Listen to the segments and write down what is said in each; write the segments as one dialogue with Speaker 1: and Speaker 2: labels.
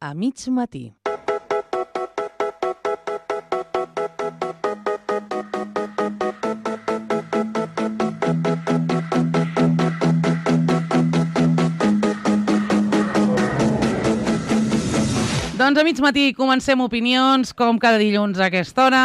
Speaker 1: a mig matí. Doncs a mig matí comencem opinions, com cada dilluns a aquesta hora.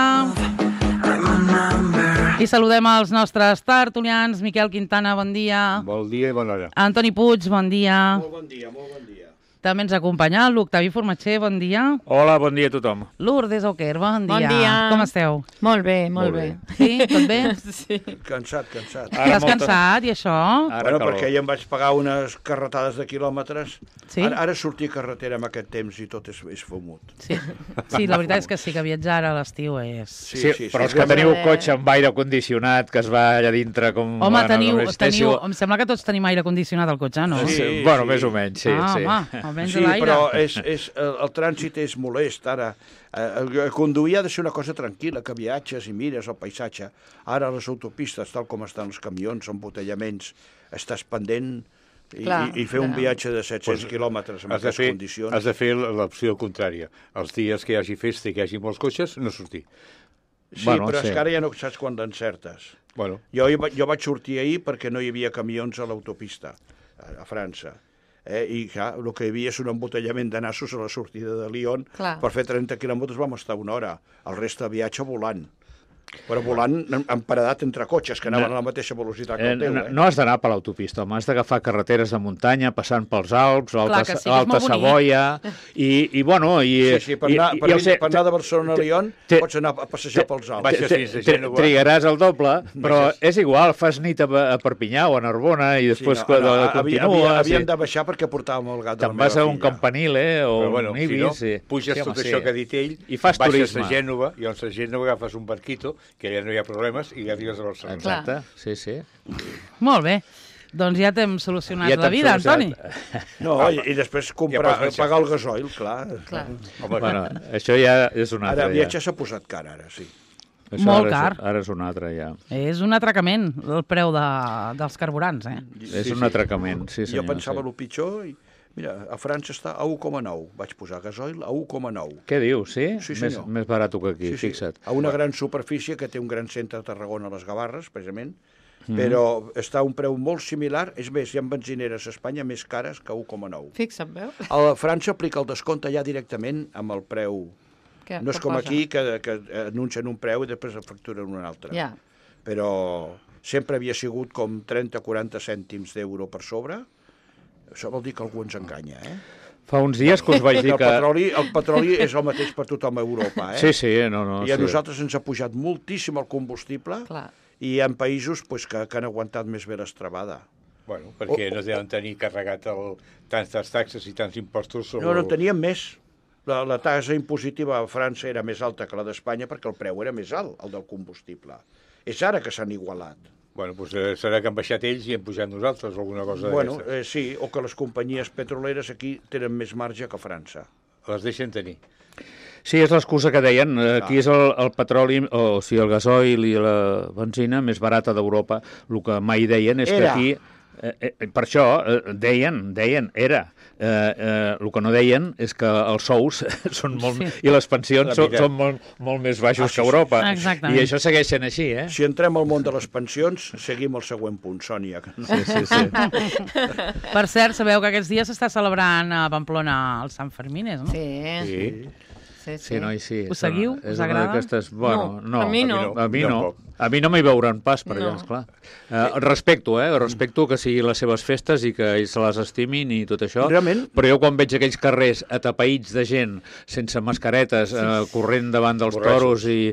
Speaker 1: I saludem els nostres tertulians. Miquel Quintana, bon dia.
Speaker 2: Bon dia i bona hora.
Speaker 1: Antoni Puig, bon dia.
Speaker 3: Molt bon dia, molt bon dia.
Speaker 1: També ens acompanya l'Octavi Formatger, bon dia.
Speaker 2: Hola, bon dia a tothom.
Speaker 1: Lourdes Oquer, bon dia.
Speaker 4: Bon dia.
Speaker 1: Com esteu?
Speaker 4: Molt bé, molt bé.
Speaker 1: Sí, tot bé?
Speaker 4: Sí.
Speaker 3: Cansat.
Speaker 1: Estàs cansat i això?
Speaker 3: Bueno, perquè ja em vaig pagar unes carretades de quilòmetres.
Speaker 1: Sí?
Speaker 3: Ara sortir a carretera amb aquest temps i tot és fumut.
Speaker 1: Sí, la veritat és que sí, que viatjar a l'estiu és...
Speaker 2: Sí, però els que teniu cotxe amb aire condicionat, que es va allà dintre com...
Speaker 1: Home, teniu... Em sembla que tots tenim aire condicionat al cotxe, no?
Speaker 3: Sí.
Speaker 2: Bueno, més o menys, sí.
Speaker 1: Home, almenys
Speaker 3: Sí,
Speaker 1: l'aire.
Speaker 3: però el trànsit és molest, ara. Conduir ha de ser una cosa tranquil·la, que viatges i mires el paisatge. Ara les autopistes, tal com estan els camions, embotellaments, estàs pendent i fer un viatge de 700 quilòmetres en aquestes condicions.
Speaker 2: Has de fer l'opció contrària. Els dies que hi hagi festa i que hi hagi molts cotxes, no sortir.
Speaker 3: Sí, bueno, però és que ara ja no saps quan l'encertes.
Speaker 2: Bueno.
Speaker 3: Jo vaig sortir ahir perquè no hi havia camions a l'autopista, a França. I clar, el que hi havia és un embotellament de nassos a la sortida de Lyon.
Speaker 4: Clar.
Speaker 3: Per fer 30 quilòmetres vam estar una hora. El reste de viatge volant. Però volant emparedat entre cotxes, que anaven a la mateixa velocitat que el teu.
Speaker 2: No has d'anar per l'autopista, home, has d'agafar carreteres de muntanya, passant pels Alps, l'Alta Savoia, i bueno...
Speaker 3: Sí, per anar de Barcelona a Lyon pots anar a passejar pels Alps.
Speaker 2: Trigaràs el doble, però és igual, fas nit a Perpinyà o a Narbona i després continues...
Speaker 3: Havíem de baixar perquè portàvem el gat de la meva filla.
Speaker 2: Te'n vas a un Campanile o un Ibis...
Speaker 5: Puges tot això que ha dit ell,
Speaker 2: i fas
Speaker 5: baixes
Speaker 2: turisme.
Speaker 5: a Gènova, i a Gènova agafes un barquito, que ja no hi ha problemes, i ja arribes a Barcelona.
Speaker 2: Exacte, sí.
Speaker 1: Molt bé. Doncs ja t'hem solucionat la vida, Antoni.
Speaker 3: No, i després pagar el gasoil, clar.
Speaker 2: Bueno, això ja és un altre.
Speaker 3: Ara el viatge s'ha posat car, ara, sí.
Speaker 1: Molt car.
Speaker 2: Ara és un altre, ja.
Speaker 1: És un atracament, el preu dels carburants, eh?
Speaker 2: És un atracament, sí senyor.
Speaker 3: Jo pensava el pitjor i... Mira, a França està a 1,9. Vaig posar gasoil a 1,9.
Speaker 2: Què dius, sí?
Speaker 3: Sí, senyor.
Speaker 2: Més barat que aquí, fixa't.
Speaker 3: A una gran superfície que té un gran centre a Tarragona, a les Gavarres, precisament, però està a un preu molt similar. És més, hi ha benzineres a Espanya més cares que 1,9.
Speaker 4: Fixa't, veu?
Speaker 3: A França aplica el descompte ja directament amb el preu. No és com aquí, que anuncien un preu i després el facturen un altre.
Speaker 4: Ja.
Speaker 3: Però sempre havia sigut com 30-40 cèntims d'euro per sobre. Això vol dir que algú ens enganya, eh?
Speaker 2: Fa uns dies que us vaig dir que...
Speaker 3: El petroli és el mateix per tothom a Europa, eh?
Speaker 2: Sí, no.
Speaker 3: I a nosaltres ens ha pujat moltíssim el combustible.
Speaker 4: Clar.
Speaker 3: I hi ha països que han aguantat més bé l'estrabada.
Speaker 5: Bueno, perquè no deuen tenir carregat tantes taxes i tants impostos sobre...
Speaker 3: No, teníem més. La tassa impositiva a França era més alta que la d'Espanya perquè el preu era més alt, el del combustible. És ara que s'han igualat.
Speaker 5: Bueno, doncs serà que han baixat ells i hem pujat nosaltres o alguna cosa d'aquestes.
Speaker 3: Bueno, sí, o que les companyies petroleres aquí tenen més marge que a França.
Speaker 5: Les deixen tenir.
Speaker 2: Sí, és l'excusa que deien. Aquí és el petroli, o sigui, el gasoil i la benzina més barata d'Europa. El que mai deien és que aquí... Per això deien, era. El que no deien és que els sous són molt... I les pensions són molt més baixos que Europa.
Speaker 1: Exactament.
Speaker 2: I això segueix sent així, eh?
Speaker 3: Si entrem al món de les pensions, seguim el següent punt, Sònia.
Speaker 2: Sí.
Speaker 1: Per cert, sabeu que aquests dies s'està celebrant a Pamplona el Sant Fermines, no?
Speaker 4: Sí.
Speaker 2: Sí, noi, sí.
Speaker 1: Us seguiu? Us agrada?
Speaker 2: Bueno, no.
Speaker 4: A mi no.
Speaker 2: A mi no m'hi veuran pas per allà, esclar. Respecto que siguin les seves festes i que ells se les estimin i tot això.
Speaker 3: Realment?
Speaker 2: Però jo quan veig aquells carrers atapeïts de gent sense mascaretes, corrent davant dels toros i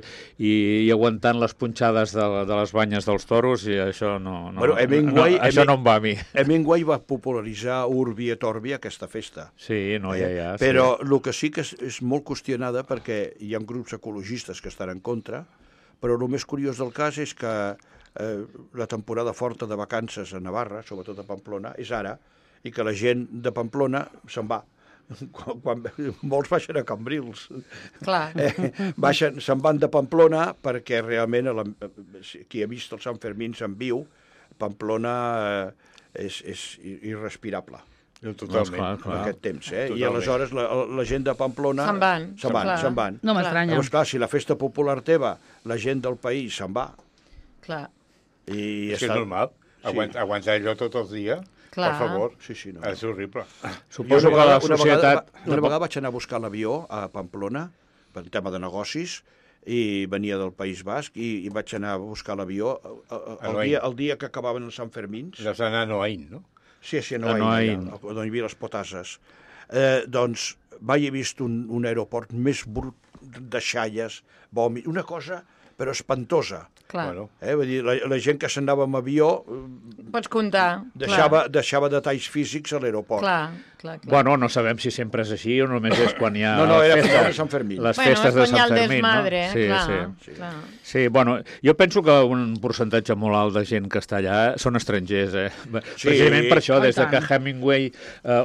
Speaker 2: aguantant les punxades de les banyes dels toros, i això no això no em va a mi.
Speaker 3: Hemingway va popularitzar Urbi et Orbi, aquesta festa.
Speaker 2: Sí, ja.
Speaker 3: Però el que sí que és molt qüestionada, perquè hi ha grups ecologistes que estan en contra, però el més curiós del cas és que la temporada forta de vacances a Navarra, sobretot a Pamplona, és ara, i que la gent de Pamplona se'n va. Quan molts baixen a Cambrils.
Speaker 4: Clar.
Speaker 3: Se'n van de Pamplona perquè realment qui ha vist els Sant Fermins en viu, Pamplona és irrespirable.
Speaker 5: Totalment.
Speaker 3: en aquest temps. I
Speaker 5: Totalment.
Speaker 3: aleshores la gent de Pamplona...
Speaker 4: Se'n van. Clar.
Speaker 3: Se'n van.
Speaker 1: No m'estranya.
Speaker 3: Llavors, clar, si la festa popular teva, la gent del país se'n va.
Speaker 4: Clar.
Speaker 3: I
Speaker 5: És que és normal. Aguantar allò tot el dia,
Speaker 4: Clar.
Speaker 5: per favor,
Speaker 3: Sí, no.
Speaker 5: és horrible.
Speaker 2: Suposo que la societat...
Speaker 3: Una vegada vaig anar a buscar l'avió a Pamplona, per tema de negocis, i venia del País Basc, i vaig anar a buscar l'avió el dia que acabaven els Sant Fermins.
Speaker 5: Vas anar a Noain, no?
Speaker 3: Sí, a Noain, on hi havia les potasses. Doncs mai he vist un aeroport més brut de xalles, vòmit, una cosa, però espantosa.
Speaker 4: Clar.
Speaker 5: Bueno,
Speaker 3: Vull dir, la gent que s'anava amb avió
Speaker 4: Pots comptar.
Speaker 3: deixava detalls físics a l'aeroport.
Speaker 4: Clar.
Speaker 2: Bueno, no sabem si sempre és així o només és quan hi ha
Speaker 3: No, era
Speaker 2: festes,
Speaker 3: final de Sant Fermín.
Speaker 2: les
Speaker 4: Bueno,
Speaker 2: festes
Speaker 4: és
Speaker 2: de
Speaker 4: quan hi ha
Speaker 2: Sant
Speaker 4: el
Speaker 2: Fermín,
Speaker 4: desmadre,
Speaker 2: no? Sí.
Speaker 4: clar.
Speaker 2: Sí, bueno, jo penso que un percentatge molt alt de gent que està allà són estrangers, Precisament per això, des de que Hemingway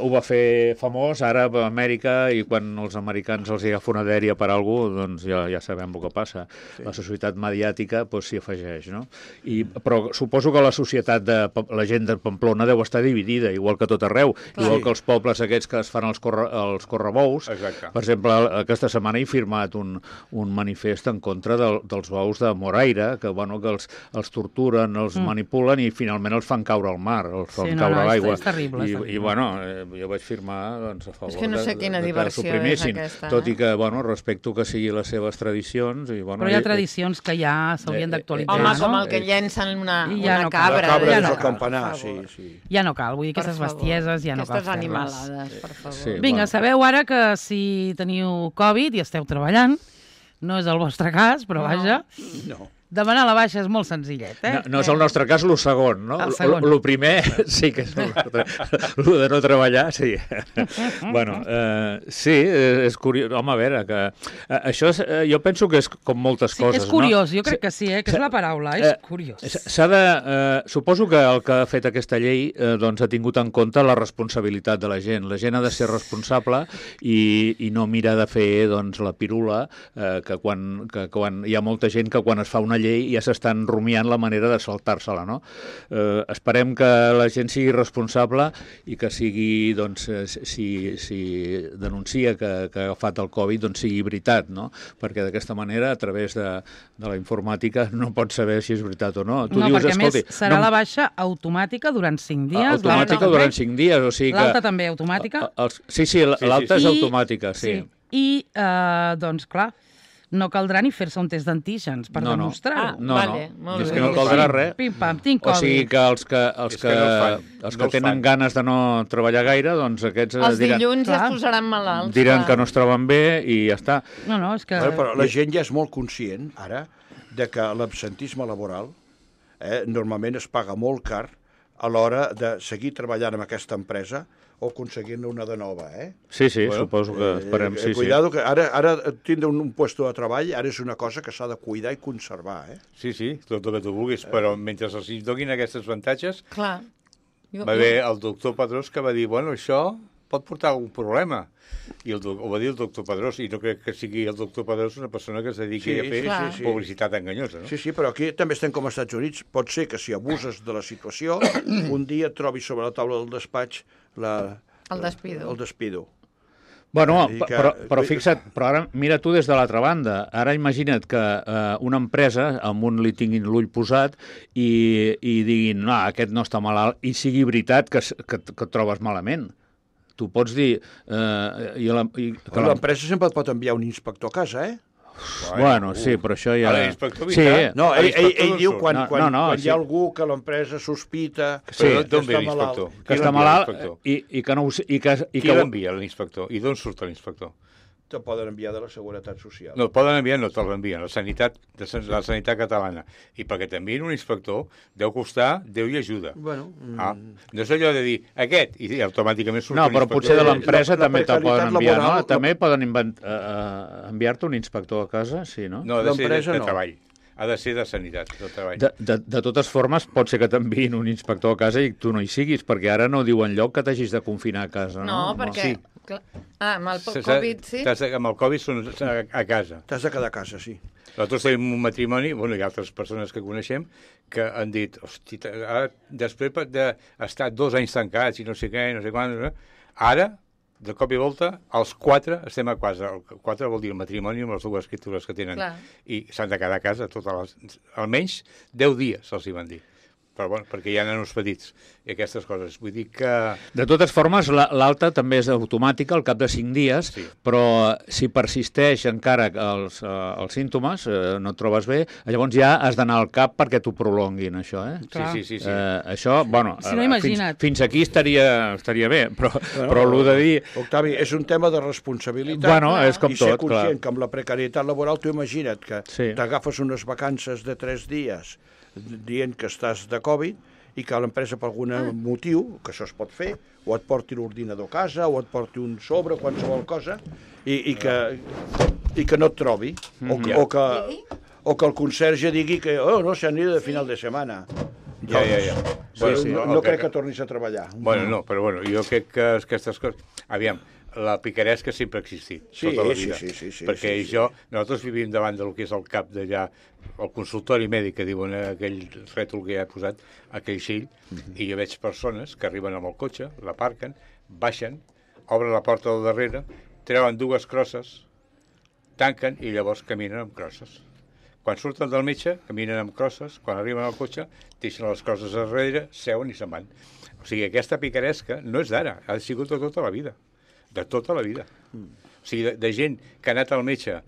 Speaker 2: ho va fer famós, ara a Amèrica, i quan els americans els agafa una dèria per alguna cosa, doncs ja sabem el que passa. La societat mediàtica s'hi afegeix, no? Però suposo que la societat la gent de Pamplona deu estar dividida, igual que tot arreu, igual que els pobles aquests que es fan els correbous.
Speaker 5: Exacte.
Speaker 2: Per exemple, aquesta setmana he firmat un manifest en contra dels bous de Moraira, que els torturen, els manipulen i finalment els fan caure al mar, els fan caure a l'aigua.
Speaker 1: És terrible.
Speaker 2: I jo vaig firmar a favor
Speaker 4: És que no sé quina
Speaker 2: que
Speaker 4: diversió
Speaker 2: suprimissin,
Speaker 4: és aquesta,
Speaker 2: tot i que respecto que sigui les seves tradicions.
Speaker 1: Però hi ha tradicions que ja s'haurien d'actualitzar,
Speaker 4: Home,
Speaker 1: no?
Speaker 4: com el que llencen una
Speaker 1: no cal.
Speaker 4: cabra.
Speaker 3: La cabra
Speaker 1: Ja
Speaker 3: des
Speaker 1: no
Speaker 3: del
Speaker 1: cal,
Speaker 3: campanar,
Speaker 4: per favor.
Speaker 3: sí.
Speaker 1: Ja no cal, vull dir, aquestes bestieses ja no cal
Speaker 4: Aquestes
Speaker 1: fer-les.
Speaker 4: animalades, per favor.
Speaker 2: Sí.
Speaker 1: Vinga,
Speaker 2: Bueno.
Speaker 1: sabeu ara que si teniu Covid i esteu treballant, no és el vostre cas, però vaja,
Speaker 3: No.
Speaker 1: demanar la baixa és molt senzillet,
Speaker 2: No és el nostre cas, el segon, no?
Speaker 1: El segon.
Speaker 2: El primer sí que és el nostre. El de no treballar, sí. Bueno, sí, és curiós. Home, a veure, que això jo penso que és com moltes
Speaker 1: Sí,
Speaker 2: coses,
Speaker 1: és curiós,
Speaker 2: no?
Speaker 1: jo crec que sí, que és la paraula, és curiós.
Speaker 2: S'ha de... Suposo que el que ha fet aquesta llei doncs ha tingut en compte la responsabilitat de la gent. La gent ha de ser responsable i no mira de fer doncs, la pirula, que quan hi ha molta gent que quan es fa una llei ja s'estan rumiant la manera de saltar-se-la, no? Esperem que la gent sigui responsable i que sigui, doncs, si denuncia que ha agafat el Covid, doncs sigui veritat, no? Perquè d'aquesta manera, a través de la informàtica, no pots saber si és veritat o no. Tu
Speaker 1: No,
Speaker 2: dius,
Speaker 1: perquè a més
Speaker 2: escolti,
Speaker 1: serà la baixa automàtica durant 5 dies.
Speaker 2: automàtica durant 5 dies, o sigui que...
Speaker 1: L'alta també automàtica.
Speaker 2: Sí, l'alta és
Speaker 1: I-
Speaker 2: automàtica, sí.
Speaker 1: I, doncs, clar, no caldrà ni fer-se un test d'antígens per demostrar-ho.
Speaker 4: Vale, molt
Speaker 2: és
Speaker 4: bé.
Speaker 2: que no caldrà res.
Speaker 1: Pim-pam, tinc
Speaker 2: O
Speaker 1: Covid.
Speaker 2: sigui que els que
Speaker 5: no el fan.
Speaker 2: els
Speaker 5: No
Speaker 2: que
Speaker 5: els
Speaker 2: tenen
Speaker 5: fan.
Speaker 2: ganes de no treballar gaire, doncs aquests
Speaker 4: Els
Speaker 2: diran,
Speaker 4: dilluns ja
Speaker 1: Clar.
Speaker 4: es posaran malalts.
Speaker 2: diran
Speaker 4: clar.
Speaker 2: que no es troben bé i ja està.
Speaker 1: No, és que...
Speaker 3: Però la gent ja és molt conscient, ara, de que l'absentisme laboral normalment es paga molt car a l'hora de seguir treballant amb aquesta empresa o aconseguir-ne una de nova,
Speaker 2: Sí, suposo que esperem, sí.
Speaker 3: Cuidado, que ara tindre un puesto de treball ara és una cosa que s'ha de cuidar i conservar,
Speaker 5: Sí, tot el que tu vulguis, però mentre els donin aquests avantatges,
Speaker 4: Clar.
Speaker 5: va haver el doctor Pedrós que va dir, bueno, això pot portar algun problema. I ho va dir el doctor Pedrós, i no crec que sigui el doctor Pedrós una persona que es dediqui a fer publicitat enganyosa, no?
Speaker 3: Sí, però aquí també estem com als Estats Units. Pot ser que si abuses de la situació, un dia et trobis sobre la taula del despatx
Speaker 4: El despido.
Speaker 3: El despido.
Speaker 2: Bueno,
Speaker 3: I que-
Speaker 2: però fixa't, però ara mira tu des de l'altra banda. Ara imagina't que una empresa, amb un li tinguin l'ull posat i diguin, no, aquest no està malalt, i sigui veritat que et trobes malament. Tu pots dir...
Speaker 3: L'empresa sempre et pot enviar un inspector a casa,
Speaker 2: Bueno, sí, però això ja...
Speaker 5: Ara l'inspector
Speaker 2: Sí,
Speaker 5: vindrà.
Speaker 3: No,
Speaker 5: L'inspector
Speaker 3: ell
Speaker 5: d'on
Speaker 3: diu
Speaker 5: surt?
Speaker 3: quan
Speaker 2: sí.
Speaker 3: hi ha algú que l'empresa sospita
Speaker 2: Sí,
Speaker 5: Però d'on ve
Speaker 3: està
Speaker 5: l'inspector?
Speaker 3: malalt.
Speaker 2: que
Speaker 5: Qui
Speaker 2: està
Speaker 5: l'envia,
Speaker 2: malalt
Speaker 5: l'inspector?
Speaker 2: i que no ho sé... I que
Speaker 5: Qui l'envia, l'inspector? I d'on surt l'inspector?
Speaker 3: te poden enviar de la Seguretat Social.
Speaker 5: No, poden enviar, no te l'envien, la sanitat catalana. I perquè t'envien un inspector, deu costar, Déu i ajuda.
Speaker 3: Bueno,
Speaker 5: No és allò de dir, aquest, i automàticament surt
Speaker 2: No,
Speaker 5: un
Speaker 2: però
Speaker 5: inspector.
Speaker 2: potser de l'empresa
Speaker 3: la
Speaker 2: també te
Speaker 3: precarietat
Speaker 2: poden enviar, no?
Speaker 3: laboral-
Speaker 2: També poden enviar-te un inspector a casa, sí, no?
Speaker 5: No, ha de ser
Speaker 3: l'empresa
Speaker 5: de
Speaker 3: no.
Speaker 5: treball. ha de ser de sanitat, de treball.
Speaker 2: De totes formes, pot ser que t'enviïn un inspector a casa i tu no hi siguis, perquè ara no diu enlloc que t'hagis de confinar a casa, no?
Speaker 4: No, perquè...
Speaker 5: Sí.
Speaker 4: Amb el Covid, sí?
Speaker 5: Amb el Covid són a casa.
Speaker 3: T'has de quedar a casa, sí.
Speaker 5: Nosaltres tenim un matrimoni, bueno, hi ha altres persones que coneixem, que han dit, hosti, ara, després d'estar 2 anys tancats i no sé què, no sé quan, ara, de cop i volta, els 4 estem a casa. El 4 vol dir el matrimoni amb les 2 escriptures que tenen.
Speaker 4: Clar.
Speaker 5: I s'han de quedar a casa almenys 10 dies, se'ls hi van dir. Però bueno, perquè hi ha nanos petits i aquestes coses. Vull dir que...
Speaker 2: De totes formes, l'alta també és automàtica al cap de 5 dies, sí. Però si persisteix encara els símptomes, no et trobes bé, llavors ja has d'anar al CAP perquè t'ho prolonguin, això,
Speaker 5: Sí.
Speaker 2: Això, bueno,
Speaker 1: si no, imagina't.
Speaker 2: Fins aquí estaria bé, però el de dir...
Speaker 3: Octavi, és un tema de responsabilitat.
Speaker 2: Bueno, és com
Speaker 3: i
Speaker 2: tot,
Speaker 3: ser conscient
Speaker 2: clar.
Speaker 3: que amb la precarietat laboral, tu imagina't que
Speaker 2: Sí.
Speaker 3: t'agafes unes vacances de 3 dies dient que estàs de Covid i que l'empresa per algun motiu, que això es pot fer, o et porti l'ordinador a casa, o et porti un sobre, qualsevol cosa, i que no et trobi, o que el conserge digui que no, s'han ido de final de setmana.
Speaker 5: Ja.
Speaker 3: No crec que tornis a treballar.
Speaker 5: Bueno, no, però bueno, jo crec que aquestes coses... Aviam, la picaresca sempre ha existit, tota la vida.
Speaker 3: Sí,
Speaker 5: perquè nosaltres vivim davant del que és el cap d'allà, el consultori mèdic, que diuen aquell rètol que ja he posat, aquell xill, i jo veig persones que arriben amb el cotxe, l'aparquen, baixen, obren la porta del darrere, treuen 2 crosses, tanquen i llavors caminen amb crosses. Quan surten del metge, caminen amb crosses, quan arriben al cotxe, deixen les crosses darrere, seuen i se'n van. O sigui, aquesta picaresca no és d'ara, ha sigut de tota la vida. De tota la vida. O sigui, de gent que ha anat al metge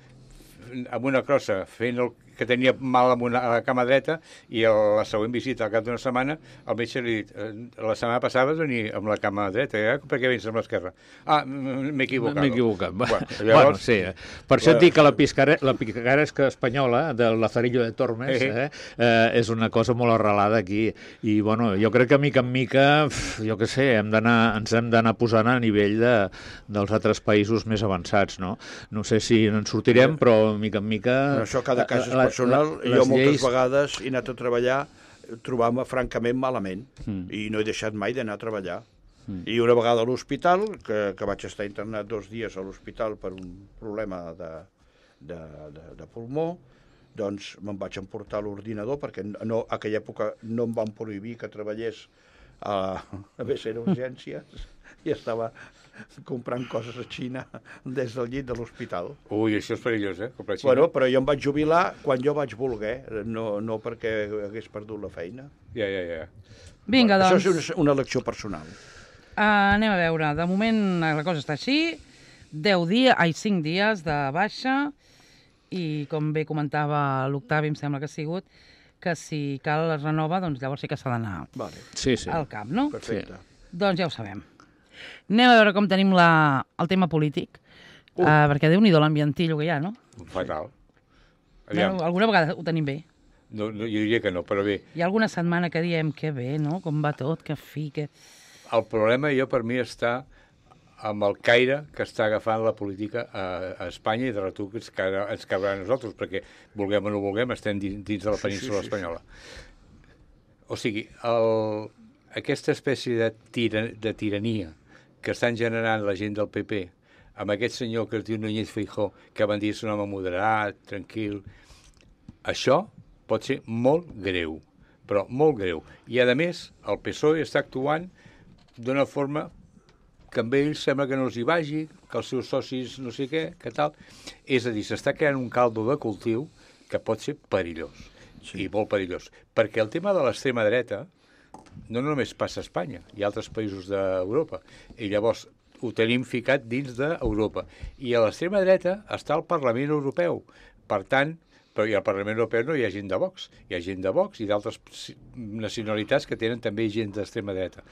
Speaker 5: amb una crossa fent el que tenia mal a la cama dreta i la següent visita al cap d'una setmana el metge li ha dit la setmana passada vas venir amb la cama dreta, per què vens amb l'esquerra? M'he equivocat.
Speaker 2: M'he equivocat.
Speaker 5: Llavors...
Speaker 2: Bueno, sí. Per això et dic que la picaresca espanyola del Lazarillo de Tormes és una cosa molt arrelada aquí i bueno, jo crec que mica en mica jo què sé, ens hem d'anar posant a nivell dels altres països més avançats, no? No sé si en sortirem, però mica en mica...
Speaker 3: Això cada cas és personal. Jo moltes vegades he anat a treballar trobant-me francament malament i no he deixat mai d'anar a treballar. I una vegada a l'hospital, que vaig estar internat 2 dies a l'hospital per un problema de pulmó, doncs me'n vaig emportar l'ordinador perquè en aquella època no em van prohibir que treballés a BC Urgències i estava comprant coses a Xina des del llit de l'hospital.
Speaker 5: Ui, això és perillós, comprar a Xina.
Speaker 3: Bueno, però jo em vaig jubilar quan jo vaig voler, no perquè hagués perdut la feina.
Speaker 5: Ja.
Speaker 1: Vinga, doncs.
Speaker 3: Això és una elecció personal.
Speaker 1: Anem a veure. De moment la cosa està així. 5 dies de baixa i, com bé comentava l'Octavi, em sembla que ha sigut, que si cal es renova, doncs llavors sí que s'ha d'anar al CAP, no?
Speaker 3: Perfecte.
Speaker 1: Doncs ja ho sabem. Anem a veure com tenim el tema polític, perquè Déu-n'hi-do l'ambientillo que hi ha, no?
Speaker 5: Fatal.
Speaker 1: No, alguna vegada ho tenim bé.
Speaker 5: No, jo diria que no, però bé.
Speaker 1: Hi ha alguna setmana que diem que bé, no? Com va tot, que fi, que...
Speaker 5: El problema, per mi, està amb el caire que està agafant la política a Espanya i de retruc ens caurà a nosaltres, perquè vulguem o no vulguem, estem dins de la península espanyola. O sigui, aquesta espècie de tirania que estan generant la gent del PP, amb aquest senyor que es diu Núñez Feijóo, que van dir és un home moderat, tranquil, això pot ser molt greu, però molt greu. I, a més, el PSOE està actuant d'una forma que amb ells sembla que no els hi vagi, que els seus socis no sé què, que tal. És a dir, s'està creant un caldo de cultiu que pot ser perillós, i molt perillós. Perquè el tema de l'extrema dreta no només passa a Espanya, hi ha altres països d'Europa, i llavors ho tenim ficat dins d'Europa. I a l'extrema dreta està el Parlament Europeu. Per tant, però al Parlament Europeu no hi ha gent de Vox, hi ha gent de Vox i d'altres nacionalitats que tenen també gent d'extrema dreta.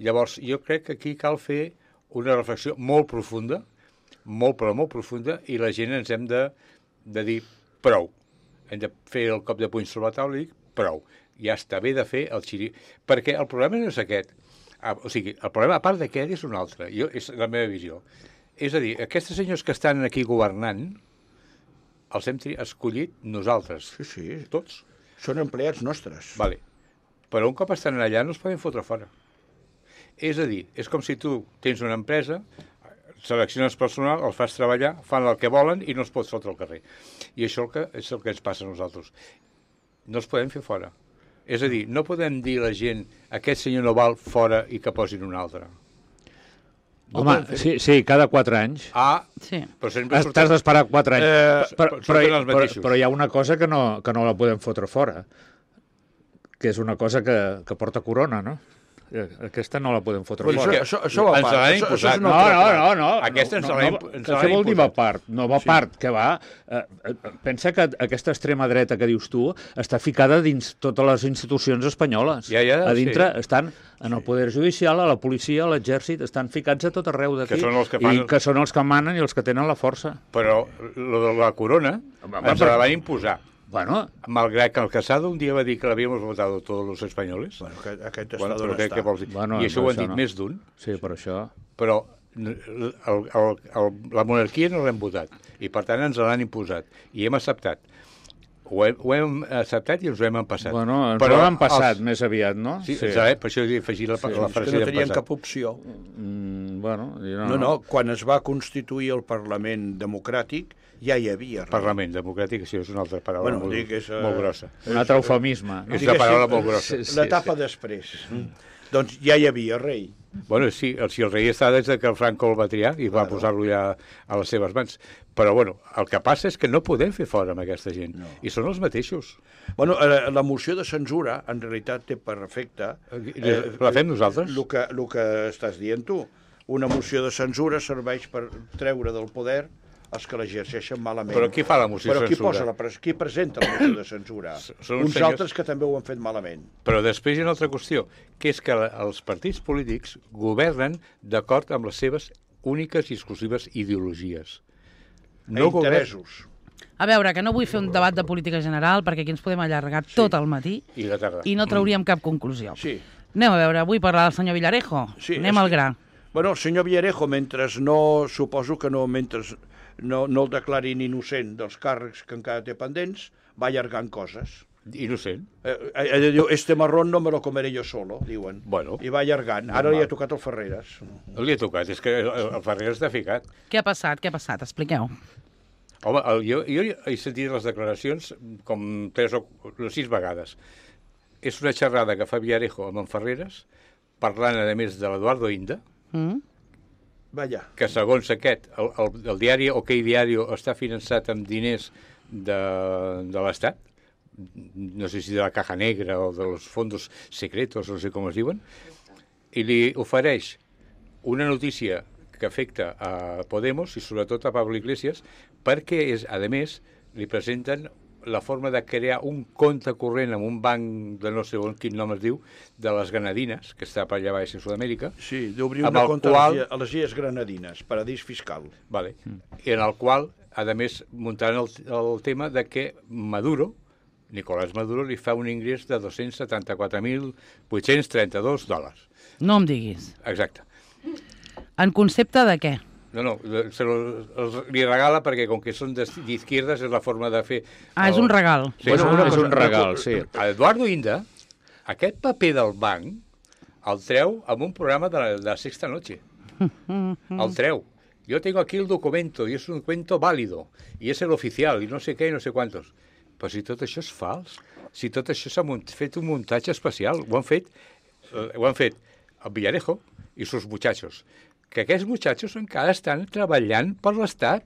Speaker 5: Llavors, jo crec que aquí cal fer una reflexió molt profunda, però molt profunda, i la gent ens hem de dir prou. Hem de fer el cop de puny sobre la taula i dir prou. Ja està bé de fer el xiri... Perquè el problema no és aquest. O sigui, el problema, a part d'aquest, és un altre. És la meva visió. És a dir, aquests senyors que estan aquí governant els hem escollit nosaltres.
Speaker 3: Sí.
Speaker 5: Tots.
Speaker 3: Són empleats nostres.
Speaker 5: Vale. Però un cop estan allà no els poden fotre fora. És a dir, és com si tu tens una empresa, selecciones personal, els fas treballar, fan el que volen i no els pots fotre al carrer. I això és el que ens passa a nosaltres. No els podem fer fora. És a dir, no podem dir a la gent aquest senyor no val fora i que posin un altre.
Speaker 2: Home, sí, cada 4 anys.
Speaker 1: Sí.
Speaker 2: Però t'has d'esperar 4 anys. Però hi ha una cosa que no la podem fotre fora, que és una cosa que porta corona, no? Aquesta no la podem fotre fora.
Speaker 3: Això va a part.
Speaker 5: Ens l'ha imposat.
Speaker 2: No.
Speaker 5: Aquesta ens l'ha imposat.
Speaker 2: Què vol dir va a part? No va a part, que va... Pensa que aquesta extrema dreta que dius tu està ficada dins totes les institucions espanyoles.
Speaker 5: A
Speaker 2: dintre estan en el poder judicial, a la policia, a l'exèrcit, estan ficats a tot arreu d'aquí. I que són els que manen i els que tenen la força.
Speaker 5: Però lo de la corona ens la van imposar.
Speaker 2: Bueno,
Speaker 5: malgrat que el Casado un dia va dir que l'havíamos votado todos los españoles.
Speaker 3: Bueno, aquest està d'on està.
Speaker 5: Què vols dir? I això ho han dit més d'un.
Speaker 2: Sí, per això.
Speaker 5: Però la monarquia no l'hem votat. I per tant ens l'han imposat. I hem acceptat. Ho hem acceptat i ens ho hem empassat.
Speaker 2: Bueno, ens ho hem empassat més aviat, no?
Speaker 5: Sí. Per això he afegit la frase
Speaker 3: que no tenien cap opció. No, quan es va constituir el Parlament democràtic ja hi havia.
Speaker 5: Parlament democràtic, això és una altra paraula molt grossa.
Speaker 2: Un altre eufemisme.
Speaker 5: És una paraula molt grossa.
Speaker 3: L'etapa després. Doncs ja hi havia rei.
Speaker 5: Bueno, sí, si el rei està des que el Franco el va triar i va posar-lo ja a les seves mans. Però, bueno, el que passa és que no podem fer fora amb aquesta gent. I són els mateixos.
Speaker 3: Bueno, la moció de censura, en realitat, té per efecte...
Speaker 5: La fem nosaltres?
Speaker 3: El que estàs dient tu. Una moció de censura serveix per treure del poder els que l'exerceixen malament.
Speaker 5: Però qui fa la moció de censura?
Speaker 3: Qui presenta la moció de censura? Uns altres que també ho han fet malament.
Speaker 5: Però després hi ha una altra qüestió, que és que els partits polítics governen d'acord amb les seves úniques i exclusives ideologies.
Speaker 3: Interessos.
Speaker 1: A veure, que no vull fer un debat de política general perquè aquí ens podem allargar tot el matí i no trauríem cap conclusió.
Speaker 3: Sí.
Speaker 1: Anem a veure, vull parlar del senyor Villarejo. Anem al gra.
Speaker 3: Bueno, el senyor Villarejo, suposo que mentre no el declarin innocent dels càrrecs que encara té pendents, va allargant coses.
Speaker 5: Innocent?
Speaker 3: Diu, este marrón no me lo comeré yo solo, diuen.
Speaker 5: Bueno.
Speaker 3: I va allargant. Ara li ha tocat el Ferreres.
Speaker 5: No li ha tocat, és que el Ferreres està ficat.
Speaker 1: Què ha passat? Expliqueu.
Speaker 5: Home, jo he sentit les declaracions com 3 o 6 vegades. És una xerrada que fa Villarejo amb en Ferreres, parlant, a més, de l'Eduardo Inda, que segons aquest, el diari OK Diario està finançat amb diners de l'Estat, no sé si de la Caja Negra o dels fondos secretos, no sé com es diuen, i li ofereix una notícia que afecta a Podemos i sobretot a Pablo Iglesias, perquè, a més, li presenten la forma de crear un compte corrent en un banc de no sé quin nom es diu, de les Granadines, que està per allà baix a Sud-amèrica.
Speaker 3: Sí, d'obrir una compte a les Illes Granadines, paradís fiscal.
Speaker 5: Vale. I en el qual, a més, muntaran el tema de que Nicolás Maduro, li fa un ingrés de $274.832.
Speaker 1: No em diguis.
Speaker 5: Exacte.
Speaker 1: En concepte de què?
Speaker 5: No, li regala perquè com que són d'izquierdas és la forma de fer...
Speaker 1: És un regal.
Speaker 2: Sí, és un regal, sí.
Speaker 5: Eduardo Inda, aquest paper del banc el treu amb un programa de Sexta Noche. El treu. Yo tengo aquí el documento y es un documento válido y es el oficial y no sé què i no sé quantos. Però si tot això és fals, si tot això s'ha fet un muntatge especial, ho han fet el Villarejo i sus muchachos. Que aquests muchachos encara estan treballant per l'Estat,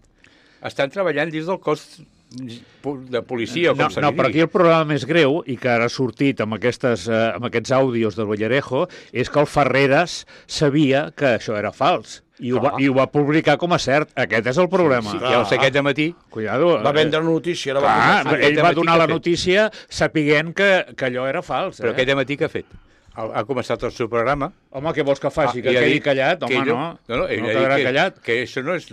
Speaker 5: estan treballant dins del cos de policia, com se li digui.
Speaker 2: Però aquí el problema més greu, i que ara ha sortit amb aquests àudios del Villarejo, és que el Ferreres sabia que això era fals. I ho va publicar com a cert. Aquest és el problema.
Speaker 5: Sí, ja ho sé aquest matí.
Speaker 2: Cuidado.
Speaker 3: Va vendre la notícia.
Speaker 2: Ell va donar la notícia sapiguent que allò era fals.
Speaker 5: Però aquest matí què ha fet? Ha començat el seu programa.
Speaker 2: Home, què vols que faci? Que quedi callat? Home, no.
Speaker 5: No quedarà callat. Que eso no es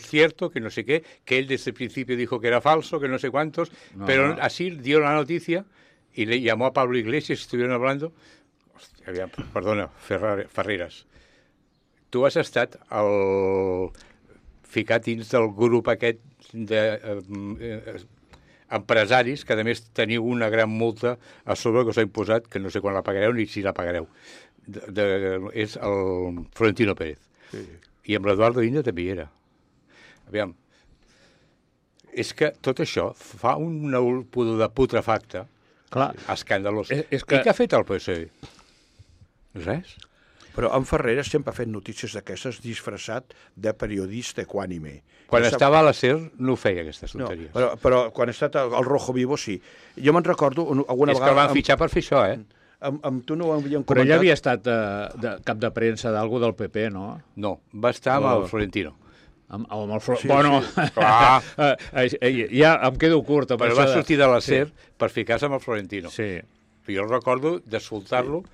Speaker 5: cierto, que no sé qué, que él desde el principio dijo que era falso, que no sé cuántos, pero así dio la noticia y le llamó a Pablo Iglesias y estuvieron hablando. Hòstia, perdona, Ferreras. Tu has estat ficat dins del grup aquest empresaris que, a més, teniu una gran multa a sobre que us ha imposat, que no sé quan la pagareu ni si la pagareu. És el Florentino Pérez. Sí. I amb l'Eduardo Inde també hi era. Aviam, és que tot això fa un pudor de putrefacte escandalós. I què ha fet el PSOE? Res.
Speaker 3: Però en Ferreras sempre ha fet notícies d'aquestes disfressat de periodista equànime.
Speaker 5: Quan estava a la SER no feia aquestes tonteries.
Speaker 3: No, però quan ha estat al Rojo Vivo sí. Jo me'n recordo alguna vegada...
Speaker 5: És que el van fitxar per fer això,
Speaker 3: Amb tu no ho havíem comentat.
Speaker 2: Però ella havia estat de cap de premsa d'algú del PP, no?
Speaker 5: No, va estar amb el Florentino.
Speaker 2: Amb el Florentino. Sí, bueno, ja em quedo curt.
Speaker 5: Però va sortir de la SER per ficar-se amb el Florentino.
Speaker 2: Sí.
Speaker 5: Jo recordo d'escoltar-lo,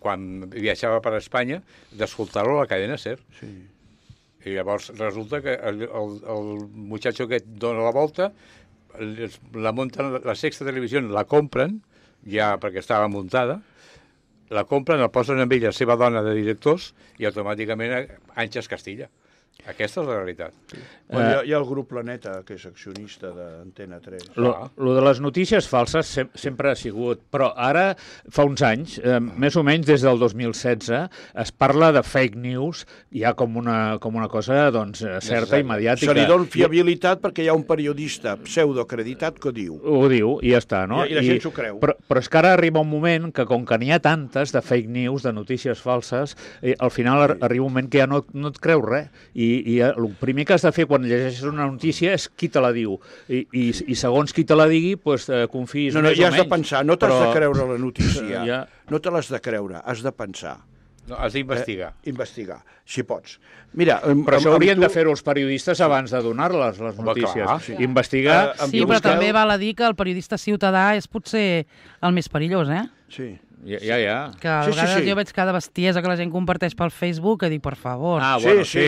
Speaker 5: quan viatjava per Espanya, d'escoltar-lo a la cadena SER.
Speaker 3: Sí.
Speaker 5: I llavors resulta que el muchacho que dona la volta, la munten, la Sexta Televisió la compren, ja perquè estava muntada, la compren, el posen amb ella la seva dona de directors i automàticament Àngels Castilla. Aquesta és la realitat. Sí.
Speaker 3: Bueno, hi ha el grup Planeta, que és accionista d'Antena 3.
Speaker 2: Lo de les notícies falses sempre ha sigut, però ara, fa uns anys, més o menys des del 2016, es parla de fake news ja com una cosa doncs, certa i mediàtica.
Speaker 3: Se li dona fiabilitat perquè hi ha un periodista pseudoacreditat que ho diu.
Speaker 2: Ho diu i ja està, no?
Speaker 3: I la gent s'ho creu.
Speaker 2: Però és que ara arriba un moment que, com que n'hi ha tantes de fake news, de notícies falses, al final arriba un moment que ja no et creus res. I el primer que has de fer quan llegeixes una notícia és qui te la diu. I segons qui te la digui, doncs confiïs més o menys.
Speaker 3: Ja has de pensar, no t'has de creure la notícia. No te l'has de creure, has de pensar.
Speaker 5: No, has d'investigar.
Speaker 3: Investigar, si pots. Mira,
Speaker 2: però això haurien de fer-ho els periodistes abans de donar-les, les notícies. Clar, sí. Investigar...
Speaker 1: Sí, però també val a dir que el periodista ciutadà és potser el més perillós,
Speaker 3: Sí.
Speaker 2: Ja.
Speaker 1: Que a vegades jo veig cada bestiesa que la gent comparteix pel Facebook que dic, per favor.
Speaker 2: Ah, bueno, sí.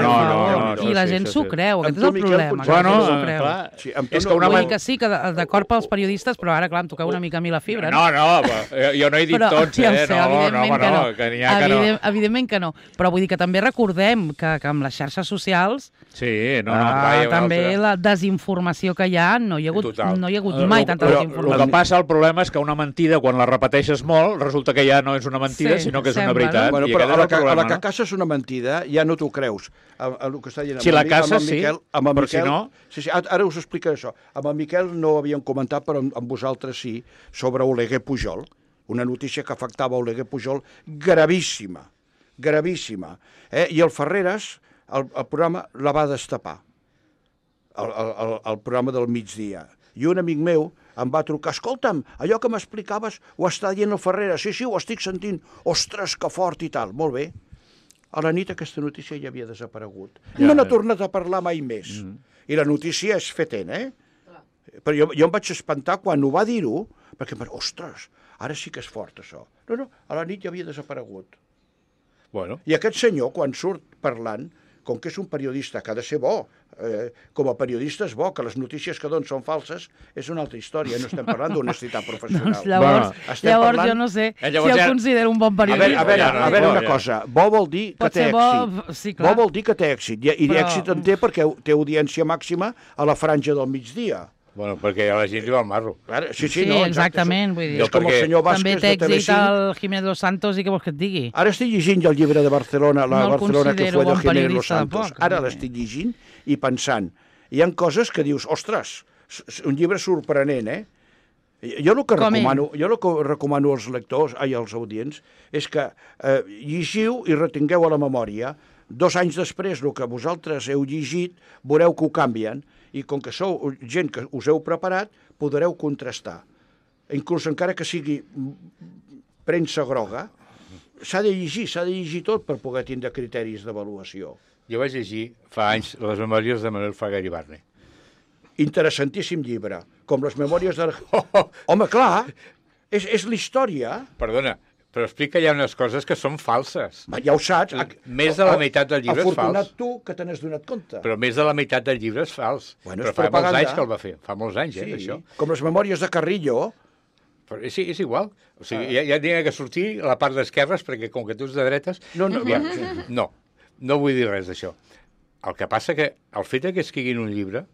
Speaker 2: No,
Speaker 1: i la gent s'ho creu, aquest és el problema.
Speaker 2: Bueno, clar.
Speaker 1: És que vull dir que sí, que d'acord pels periodistes, però ara, clar, em toqueu una mica a mi la fibra.
Speaker 2: No, jo no he dit tots,
Speaker 1: Evidentment que no. Però vull dir que també recordem que amb les xarxes socials també la desinformació que hi ha, no hi ha hagut mai tanta desinformació.
Speaker 2: El que passa, el problema és que una mentida, quan la repeteixes molt, resulta que ja no és una mentida, sinó que és una veritat.
Speaker 3: Bueno, però a la que casa és una mentida, ja no t'ho creus. El que està dient
Speaker 2: si la casa, sí, però si no...
Speaker 3: Sí, ara us explicaré això. Amb el Miquel no ho havíem comentat, però amb vosaltres sí, sobre Oleguer Pujol, una notícia que afectava Oleguer Pujol gravíssima. I el Ferreras, el programa, la va destapar. El programa del migdia. I un amic meu em va trucar, escolta'm, allò que m'explicaves ho està dient el Ferreras, sí, ho estic sentint, ostres, que fort i tal, molt bé. A la nit aquesta notícia ja havia desaparegut. No n'ha tornat a parlar mai més. I la notícia és fetent, Però jo em vaig espantar quan ho va dir-ho, perquè em vaig dir, ostres, ara sí que és fort això. No, a la nit ja havia desaparegut.
Speaker 5: Bueno.
Speaker 3: I aquest senyor, quan surt parlant, com que és un periodista que ha de ser bo, com a periodista és bo, que les notícies que donen són falses, és una altra història, no estem parlant d'honestitat professional.
Speaker 1: Doncs llavors jo no sé si el considero un bon periodista.
Speaker 3: A veure una cosa, bo vol dir que té èxit. Bo vol dir que té èxit, i èxit en té perquè té audiència màxima a la franja del migdia.
Speaker 5: Bueno, perquè a la gent li va al marro.
Speaker 3: Sí,
Speaker 1: exactament. Vull dir,
Speaker 3: és com el senyor Vázquez de Telecinco.
Speaker 1: També té èxit el Jiménez Los Santos i què vols que et digui?
Speaker 3: Ara estic llegint el llibre de Barcelona, la Barcelona que fue de Jiménez Los Santos. Ara l'estic llegint i pensant. Hi ha coses que dius, ostres, un llibre sorprenent, Jo el que recomano als lectors, als audients, és que llegiu i retingueu a la memòria. 2 anys després, el que vosaltres heu llegit, veureu que ho canvien, i com que sou gent que us heu preparat, podreu contrastar. Inclús encara que sigui premsa groga, s'ha de llegir tot per poder tindre criteris d'avaluació.
Speaker 5: Jo vaig llegir fa anys les memòries de Manuel Fraga Iribarne.
Speaker 3: Interessantíssim llibre, com les memòries de... Home, clar, és la història.
Speaker 5: Perdona, però explica que hi ha unes coses que són falses.
Speaker 3: Ja ho saps.
Speaker 5: Més de la meitat del llibre és fals.
Speaker 3: Afortunat tu que te n'has donat compte.
Speaker 5: Però més de la meitat del llibre és fals.
Speaker 3: Bueno,
Speaker 5: però fa molts anys que el va fer. Fa molts anys, això.
Speaker 3: Com les memòries de Carrillo.
Speaker 5: Però és igual. O sigui, ja tenia que sortir a la part d'esquerres, perquè com que tu ets de dretes...
Speaker 3: No vull dir res d'això.
Speaker 5: El que passa que el fet que escriguin un llibre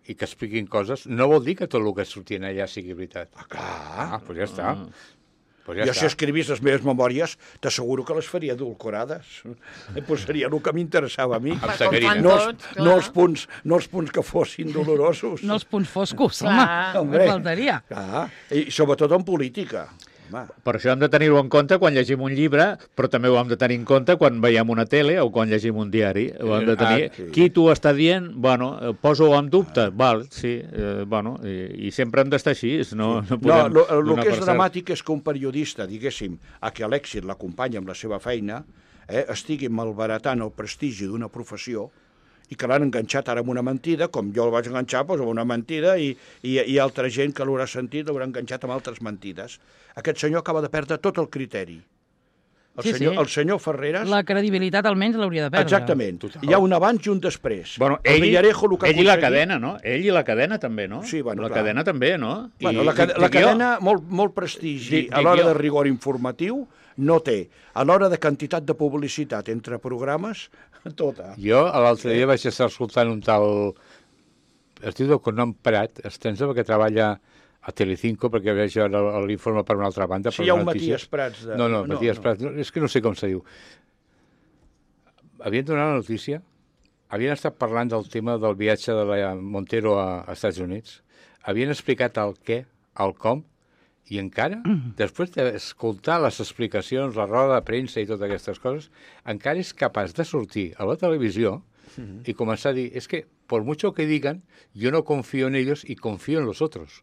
Speaker 5: i que expliquin coses no vol dir que tot el que sortien allà sigui veritat.
Speaker 3: Clar.
Speaker 5: Doncs ja està. Pues ja
Speaker 3: jo, si escrivís les meves memòries, t'asseguro que les faria edulcorades. Pues seria el que m'interessava a mi. No els punts que fossin dolorosos.
Speaker 1: No els punts foscos, home, faltaria.
Speaker 3: Clar. I sobretot en política.
Speaker 2: Per això hem de tenir-ho en compte quan llegim un llibre, però també ho hem de tenir en compte quan veiem una tele o quan llegim un diari. Ho hem de tenir. Qui t'ho està dient, bueno, poso-ho en dubte, val, sí, bueno, i sempre hem d'estar així. No,
Speaker 3: el que és dramàtic és que un periodista, diguéssim, a què l'èxit l'acompanya amb la seva feina, estigui malbaratant el prestigi d'una professió i que l'han enganxat ara amb una mentida, com jo el vaig enganxar doncs, amb una mentida, i altra gent que l'haurà sentit l'haurà enganxat amb altres mentides. Aquest senyor acaba de perdre tot el criteri. El senyor Ferreras...
Speaker 1: La credibilitat almenys l'hauria de perdre.
Speaker 3: Exactament. Hi ha un abans i un després.
Speaker 2: Bueno, ell i la cadena, no? Ell i la cadena també, no?
Speaker 3: Sí, bueno,
Speaker 2: la cadena també, no?
Speaker 3: Bueno, la cadena, molt prestigi a l'hora de rigor informatiu, no té. A l'hora de quantitat de publicitat entre programes, tota.
Speaker 5: Jo l'altre dia vaig estar escoltant un tal... Es diu Cognom Prat, es pensa que treballa a Telecinco, perquè veig l'informe per una altra banda.
Speaker 3: Sí, hi ha un Matías Prats.
Speaker 5: No, Matías Prats, és que no sé com se diu. Havien donat la notícia, havien estat parlant del tema del viatge de la Montero a Estats Units, havien explicat el què, el com, i encara, després d'escoltar les explicacions, la roda de premsa i totes aquestes coses, encara és capaç de sortir a la televisió y comenzar a decir, es que por mucho que digan, yo no confío en ellos y confío en los otros.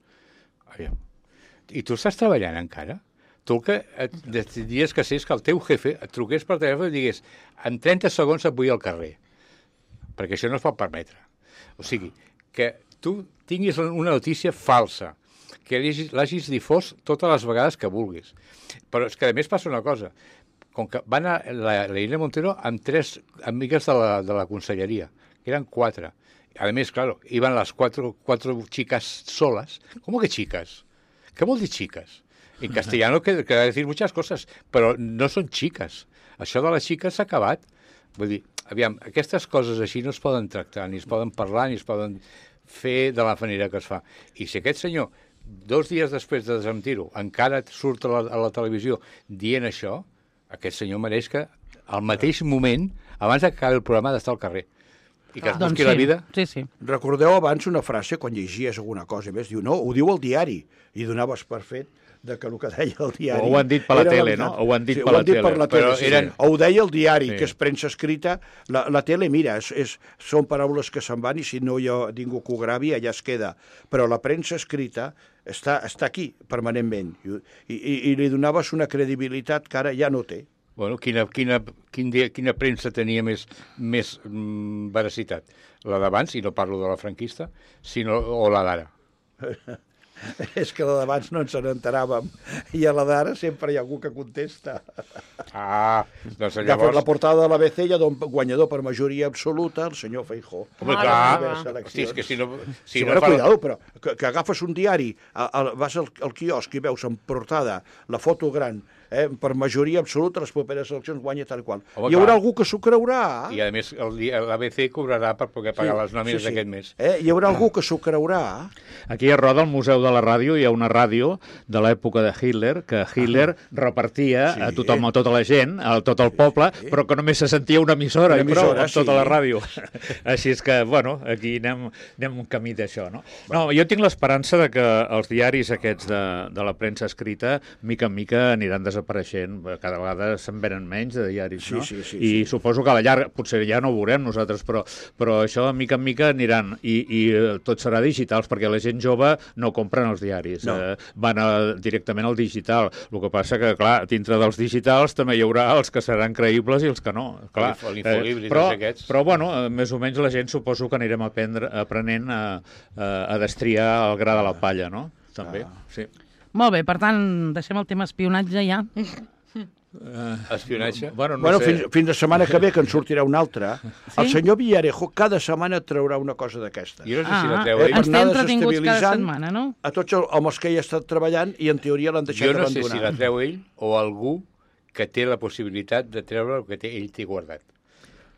Speaker 5: I tu estàs treballant encara? Tu el que decidies que és que el teu jefe et truqués per telèfon i digués en 30 segons et vull al carrer, perquè això no es pot permetre. O sigui, que tu tinguis una notícia falsa, que l'hagis difós totes les vegades que vulguis. Però és que a més passa una cosa, com que van a la Irene Montero amb 3 amigues de la conselleria, que eren 4. Además, claro, iban las cuatro chicas solas. ¿Cómo que chicas? ¿Qué vol dir chicas? En castellano queda decir muchas cosas, però no són chicas. Això de les xiques s'ha acabat. Vull dir, aviam, aquestes coses així no es poden tractar, ni es poden parlar, ni es poden fer de la manera que es fa. I si aquest senyor, 2 dies després de desmentir-ho, encara surt a la televisió dient això, aquest senyor mereix que al mateix moment, abans que acabi el programa, d'estar al carrer. I que es busqui la vida.
Speaker 1: Sí, sí.
Speaker 3: Recordeu abans una frase, quan llegies alguna cosa més, diu, no, ho diu el diari, i donaves per fet de que el que deia el diari...
Speaker 2: O ho han dit per la tele, no? O ho han dit per la tele.
Speaker 3: O ho deia el diari, que és premsa escrita. La tele, mira, són paraules que se'n van i si no hi ha ningú que ho gravi, allà es queda. Però la premsa escrita està aquí, permanentment. I li donaves una credibilitat que ara ja no té.
Speaker 5: Bueno, quina premsa tenia més veracitat? La d'abans, i no parlo de la franquista, o la d'ara?
Speaker 3: És que la d'abans no ens n'enteràvem, i a la d'ara sempre hi ha algú que contesta.
Speaker 5: Doncs llavors...
Speaker 3: La portada de l'ABC ja don guanyador per majoria absoluta, el senyor Feijó.
Speaker 5: Home, clar, hosti, és que si no...
Speaker 3: Cuidado, però que agafes un diari, vas al quiosc i veus en portada la foto gran, per majoria absoluta les properes eleccions guanya tal qual. Hi haurà algú que s'ho creurà.
Speaker 5: I a més l'ABC cobrarà per poder pagar les nòmines d'aquest mes.
Speaker 3: Hi haurà algú que s'ho creurà.
Speaker 2: Aquí a Roda, al Museu de la Ràdio, hi ha una ràdio de l'època de Hitler, que Hitler repartia a tothom, a tota la gent, a tot el poble, però que només se sentia una emissora i prou, amb tota la ràdio. Així és que, bueno, aquí anem un camí d'això, no? No, jo tinc l'esperança de que els diaris aquests de la premsa escrita, mica en mica, aniran desapareixent. Cada vegada se'n venen menys de diaris, no? I suposo que a la llarga, potser ja no ho veurem nosaltres, però això, mica en mica, aniran. I tot serà digitals, perquè la gent jove no compren els diaris. Van directament al digital. El que passa que, clar, dintre dels digitals també hi haurà els que seran creïbles i els que no. Però, bueno, més o menys la gent suposo que anirem aprenent a destriar el gra de la palla, no? També, sí.
Speaker 1: Molt bé, per tant, deixem el tema espionatge ja.
Speaker 5: Espionatge?
Speaker 3: Bueno, fins la setmana que ve, que en sortirà una altra. El senyor Villarejo cada setmana traurà una cosa d'aquesta.
Speaker 5: Jo no sé si la treu ell.
Speaker 1: Ens té entretinguts cada setmana, no?
Speaker 3: A tots els que hi ha estat treballant i en teoria l'han deixat abandonar.
Speaker 5: Jo no sé si la treu ell o algú que té la possibilitat de treure el que ell té guardat.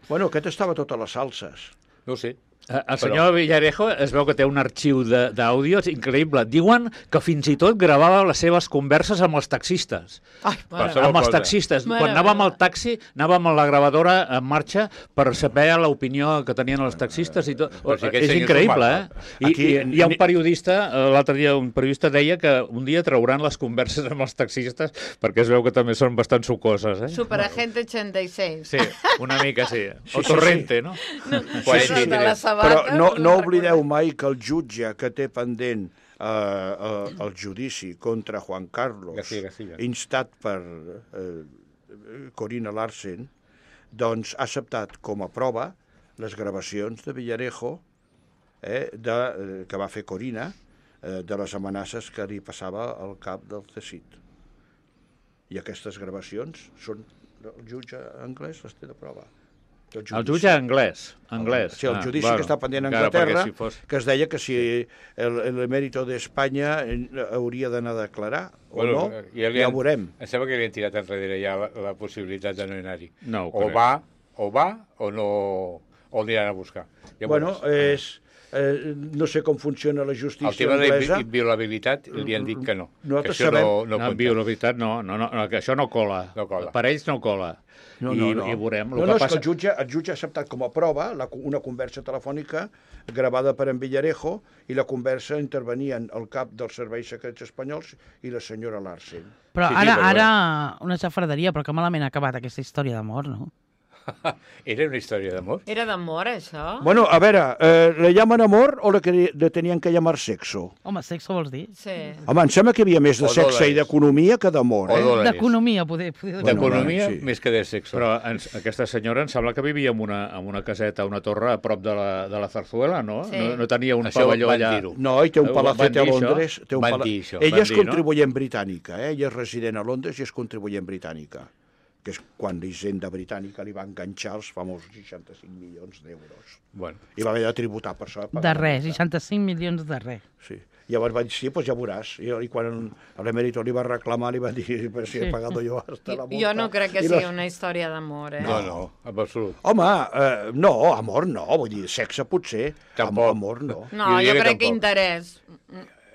Speaker 3: Bueno, aquest estava a totes les salses.
Speaker 5: No ho sé.
Speaker 2: El senyor Villarejo es veu que té un arxiu d'àudios increïble. Diuen que fins i tot gravava les seves converses amb els taxistes. Amb els taxistes. Quan anàvem al taxi, anàvem a la gravadora en marxa per saber l'opinió que tenien els taxistes i tot. És increïble, eh? I hi ha un periodista, l'altre dia un periodista deia que un dia trauran les converses amb els taxistes perquè es veu que també són bastant sucoses, eh?
Speaker 4: Superagente 86.
Speaker 2: Sí, una mica sí. O Torrente, no?
Speaker 3: Però no oblideu mai que el jutge que té pendent el judici contra Juan Carlos,
Speaker 5: García.
Speaker 3: instat per Corina Larsen, doncs ha acceptat com a prova les gravacions de Villarejo que va fer Corina de les amenaces que li passava al cap del CSIC. I aquestes gravacions són... El jutge anglès les té de prova.
Speaker 2: El jutge anglès.
Speaker 3: Sí, el judici que està pendent a Anglaterra, que es deia que si l'emèrito d'Espanya hauria d'anar a declarar o no, ja ho veurem.
Speaker 5: Em sembla que li han tirat enrere ja la possibilitat de no anar-hi.
Speaker 2: No,
Speaker 5: o va o no, o aniran a buscar.
Speaker 3: Bueno, no sé com funciona la justícia anglesa.
Speaker 5: El tema d'inviolabilitat li han dit que no.
Speaker 3: Nosaltres sabem...
Speaker 2: No, inviolabilitat no, que això no cola. Per ells no cola. I veurem.
Speaker 3: És que el jutge ha acceptat com a prova una conversa telefònica gravada per en Villarejo i la conversa intervenien el cap dels serveis secrets espanyols i la senyora Larsen.
Speaker 1: Però ara una xafarderia, però que malament ha acabat aquesta història d'amor, no?
Speaker 5: ¿Era una història d'amor?
Speaker 4: Era d'amor, això?
Speaker 3: Bueno, a veure, ¿le llaman amor o le tenían que llamar sexo?
Speaker 1: Home, sexo vols dir?
Speaker 4: Sí.
Speaker 3: Home, em sembla que hi havia més de sexe i d'economia que d'amor, eh?
Speaker 1: D'economia, poder
Speaker 5: d'economia més que de sexo.
Speaker 2: Però aquesta senyora em sembla que vivia en una caseta, una torre a prop de la Zarzuela, no? No tenia un pavelló allà.
Speaker 3: No, i té un palacete a Londres.
Speaker 5: Van dir això.
Speaker 3: Ella és contribuent britànica, ella és resident a Londres i és contribuent britànica, que és quan l'Hisenda britànica li va enganxar els famosos 65 milions d'euros.
Speaker 5: Bueno.
Speaker 3: I va haver de tributar per això.
Speaker 1: De res, 65 milions de res.
Speaker 3: Sí. Llavors va dir, sí, doncs ja veuràs. I quan l'emèrito li va reclamar, li va dir, però si he pagat jo hasta la multa.
Speaker 4: Jo no crec que sigui una història d'amor, eh?
Speaker 5: No, en absolut.
Speaker 3: Home, no, amor no, vull dir, sexe potser, amor no.
Speaker 4: No, jo crec que interès.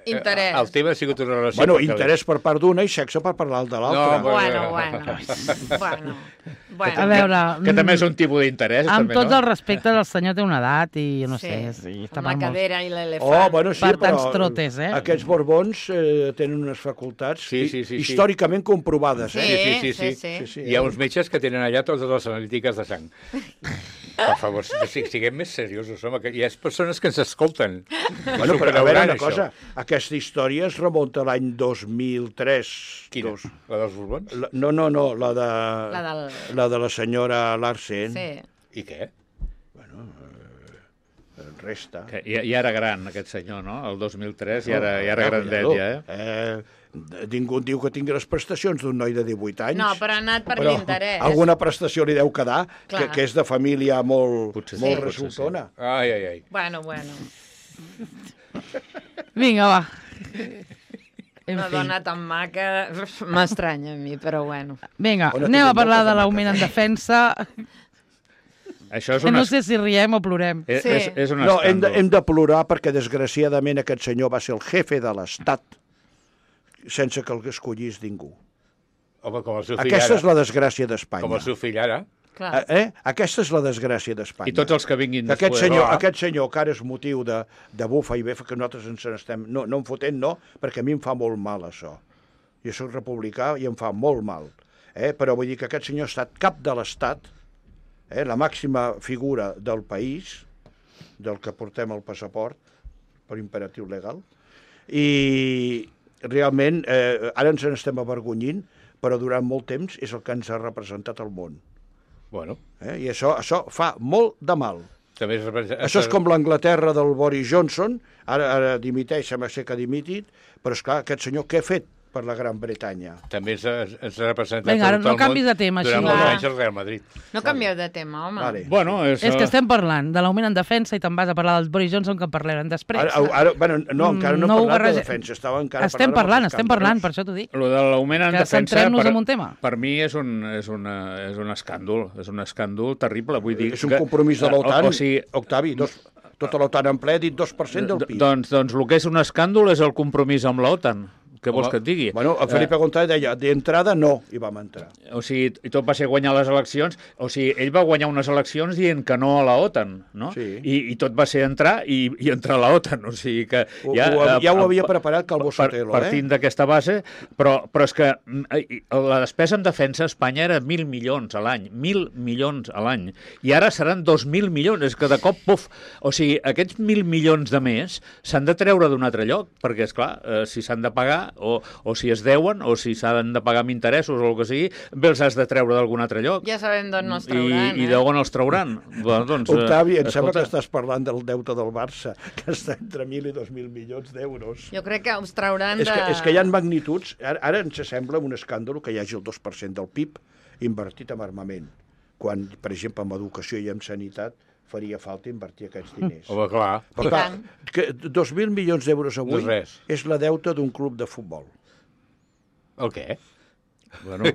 Speaker 4: Interès.
Speaker 5: El tema ha sigut una relació...
Speaker 3: Bueno, interès per part d'una i sexe per part de l'altra.
Speaker 4: No, bueno.
Speaker 1: A veure...
Speaker 2: Que també és un tipus d'interès.
Speaker 1: Amb tot el respecte, el senyor té una edat i no sé...
Speaker 4: Amb la cadera i l'elefant.
Speaker 3: Bueno, sí,
Speaker 1: per tants trotes, eh?
Speaker 3: Aquests borbons tenen unes facultats històricament comprovades,
Speaker 4: eh? Sí.
Speaker 5: Hi ha uns metges que tenen allà totes les analítiques de sang. Per favor, siguem més seriosos, home, que hi ha persones que ens escolten.
Speaker 3: Bueno, però a veure una cosa, aquesta història es remunta a l'any 2003.
Speaker 5: Quina? La dels Borbons?
Speaker 3: No, la de la senyora Larsen.
Speaker 4: Sí.
Speaker 5: I què?
Speaker 3: Bueno, resta.
Speaker 2: Que ja era gran, aquest senyor, no? El 2003 ja era grandet, ja, eh?
Speaker 3: Ningú diu que tingui les prestacions d'un noi de 18 anys.
Speaker 4: No, però ha anat per l'interès.
Speaker 3: Alguna prestació li deu quedar, que és de família molt resultona.
Speaker 5: Ai.
Speaker 4: Bueno.
Speaker 1: Vinga, va.
Speaker 4: Una dona tan maca m'estranya a mi, però bueno.
Speaker 1: Vinga, anem a parlar de l'augment en defensa.
Speaker 2: Això és
Speaker 1: no sé si riem o plorem.
Speaker 2: És un
Speaker 3: escàndol.
Speaker 2: No,
Speaker 3: hem de plorar perquè, desgraciadament, aquest senyor va ser el jefe de l'Estat sense que el escollís ningú.
Speaker 5: Home, com el seu fill
Speaker 3: Aquesta és la desgràcia d'Espanya.
Speaker 5: Com el seu fill ara.
Speaker 3: Aquesta és la desgràcia d'Espanya.
Speaker 2: I tots els que vinguin després.
Speaker 3: Aquest senyor que ara és motiu de bufa i befa, que nosaltres ens n'estem... No em fotent, no, perquè a mi em fa molt mal, això. Jo soc republicà i em fa molt mal. Però vull dir que aquest senyor ha estat cap de l'Estat, la màxima figura del país, del que portem el passaport, per imperatiu legal, i realment ara ens n'estem avergonyint, però durant molt temps és el que ens ha representat al món.
Speaker 5: Bueno.
Speaker 3: I això fa molt de mal. Això és com l'Anglaterra del Boris Johnson, ara dimiteix, sembla ser que ha dimitit, però esclar, aquest senyor què ha fet per la Gran Bretanya.
Speaker 5: També ens ha representat
Speaker 1: Vinga,
Speaker 5: tot el món
Speaker 1: no canvis de tema,
Speaker 5: durant
Speaker 1: així.
Speaker 5: molts anys el Real Madrid.
Speaker 4: No canvieu de tema, home.
Speaker 3: Vale.
Speaker 2: Bueno,
Speaker 1: És que estem parlant de l'augment en defensa i te'n vas a parlar del Boris Johnson, que en parlarem després.
Speaker 3: Bueno, no, encara no he parlat de defensa.
Speaker 1: Estem parlant, per això t'ho dic.
Speaker 2: Lo de l'augment en
Speaker 1: Que
Speaker 2: defensa,
Speaker 1: centrem-nos en un tema.
Speaker 2: per mi és un escàndol, és un escàndol terrible. Vull dir
Speaker 3: És un compromís de l'OTAN,
Speaker 2: o sigui,
Speaker 3: Octavi, tota l'OTAN en ple ha dit 2% del PIB.
Speaker 2: Doncs el que és un escàndol és el compromís amb l'OTAN. Què vols que et digui?
Speaker 3: Bueno, el Felipe González deia, d'entrada no, i vam entrar.
Speaker 2: O sigui, i tot va ser guanyar les eleccions. O sigui, ell va guanyar unes eleccions dient que no a la OTAN, no?
Speaker 3: Sí.
Speaker 2: I tot va ser entrar i entrar a la OTAN. O sigui que
Speaker 3: Ja ho havia preparat Calvo Sotelo,
Speaker 2: partint d'aquesta base, però és que la despesa en defensa a Espanya era 1.000 milions a l'any. 1.000 milions a l'any. I ara seran 2.000 milions. És que de cop, puf! O sigui, aquests 1.000 milions de més s'han de treure d'un altre lloc, perquè, esclar, si s'han de pagar o si es deuen, o si s'han de pagar amb interessos o el que sigui, bé els has de treure d'algun altre lloc.
Speaker 4: Ja sabem d'on no es trauran,
Speaker 2: I d'on els trauran. Bueno, doncs,
Speaker 3: Octavi, em sembla que estàs parlant del deute del Barça, que està entre 1.000 i 2.000 milions d'euros.
Speaker 4: Jo crec que us trauran
Speaker 3: És que hi ha magnituds. Ara ens sembla un escàndol que hi hagi el 2% del PIB invertit en armament, quan, per exemple, en educació i en sanitat faria falta invertir aquests diners.
Speaker 5: Home, clar.
Speaker 3: Però clar, que 2.000 milions d'euros avui és la deuta d'un club de futbol.
Speaker 5: El què?
Speaker 2: Bueno,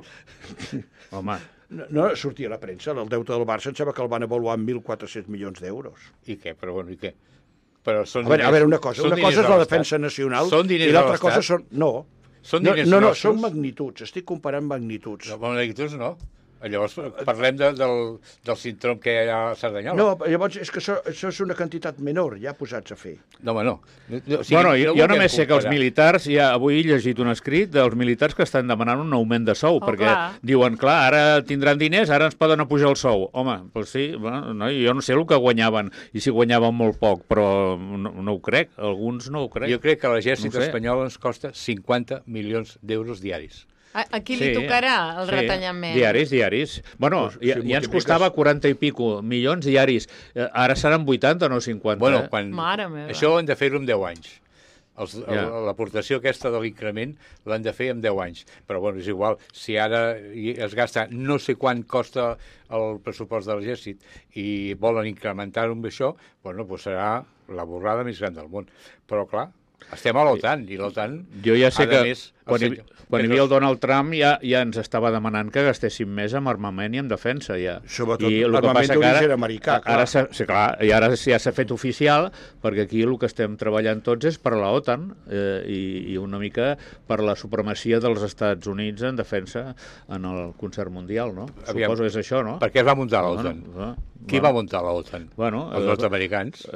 Speaker 2: home...
Speaker 3: No sortia a la premsa, el deute del Barça em sembla que el van avaluar en 1.400 milions d'euros.
Speaker 5: I què? Però bueno, i què? Però són
Speaker 3: a veure, una cosa és la defensa nacional i l'altra cosa són... No, són magnituds, estic comparant magnituds.
Speaker 5: No, magnituds no. Llavors parlem del síndrome que hi ha a Cerdanyola.
Speaker 3: No, llavors és que això és una quantitat menor, ja posats a fer.
Speaker 5: No, home, no.
Speaker 2: O sigui, jo només sé que els militars, avui he llegit un escrit dels militars que estan demanant un augment de sou, perquè diuen, clar, ara tindran diners, ara ens poden apujar el sou. Home, doncs sí, bueno, jo no sé el que guanyaven, i si guanyaven molt poc, però no ho crec, alguns no ho crec.
Speaker 5: Jo crec que l'exèrcit espanyol ens costa 50 milions d'euros diaris.
Speaker 4: A qui li tocarà el retallament?
Speaker 2: Diaris. Bueno, ja ens costava 40 i pico milions diaris. Ara seran 80, no 50.
Speaker 5: Bueno,
Speaker 4: Mare meva.
Speaker 5: Això ho hem de fer-ho en 10 anys. L'aportació aquesta de l'increment l'han de fer en 10 anys. Però, bueno, és igual. Si ara es gasta no sé quant costa el pressupost de l'exèrcit i volen incrementar-ho amb això, bueno, doncs serà la borrada més gran del món. Però, clar, estem a l'OTAN, i l'OTAN...
Speaker 2: Jo ja sé que quan hi havia el Donald Trump ja ens estava demanant que gastéssim més en armament i en defensa, ja.
Speaker 3: Sobretot armament d'origen americà, clar.
Speaker 2: I ara ja s'ha fet oficial, perquè aquí el que estem treballant tots és per la OTAN i una mica per la supremacia dels Estats Units en defensa en el concert mundial, no? Suposo que és això, no?
Speaker 5: Per què es va muntar l'OTAN? Qui va muntar l'OTAN? Els nord-americans?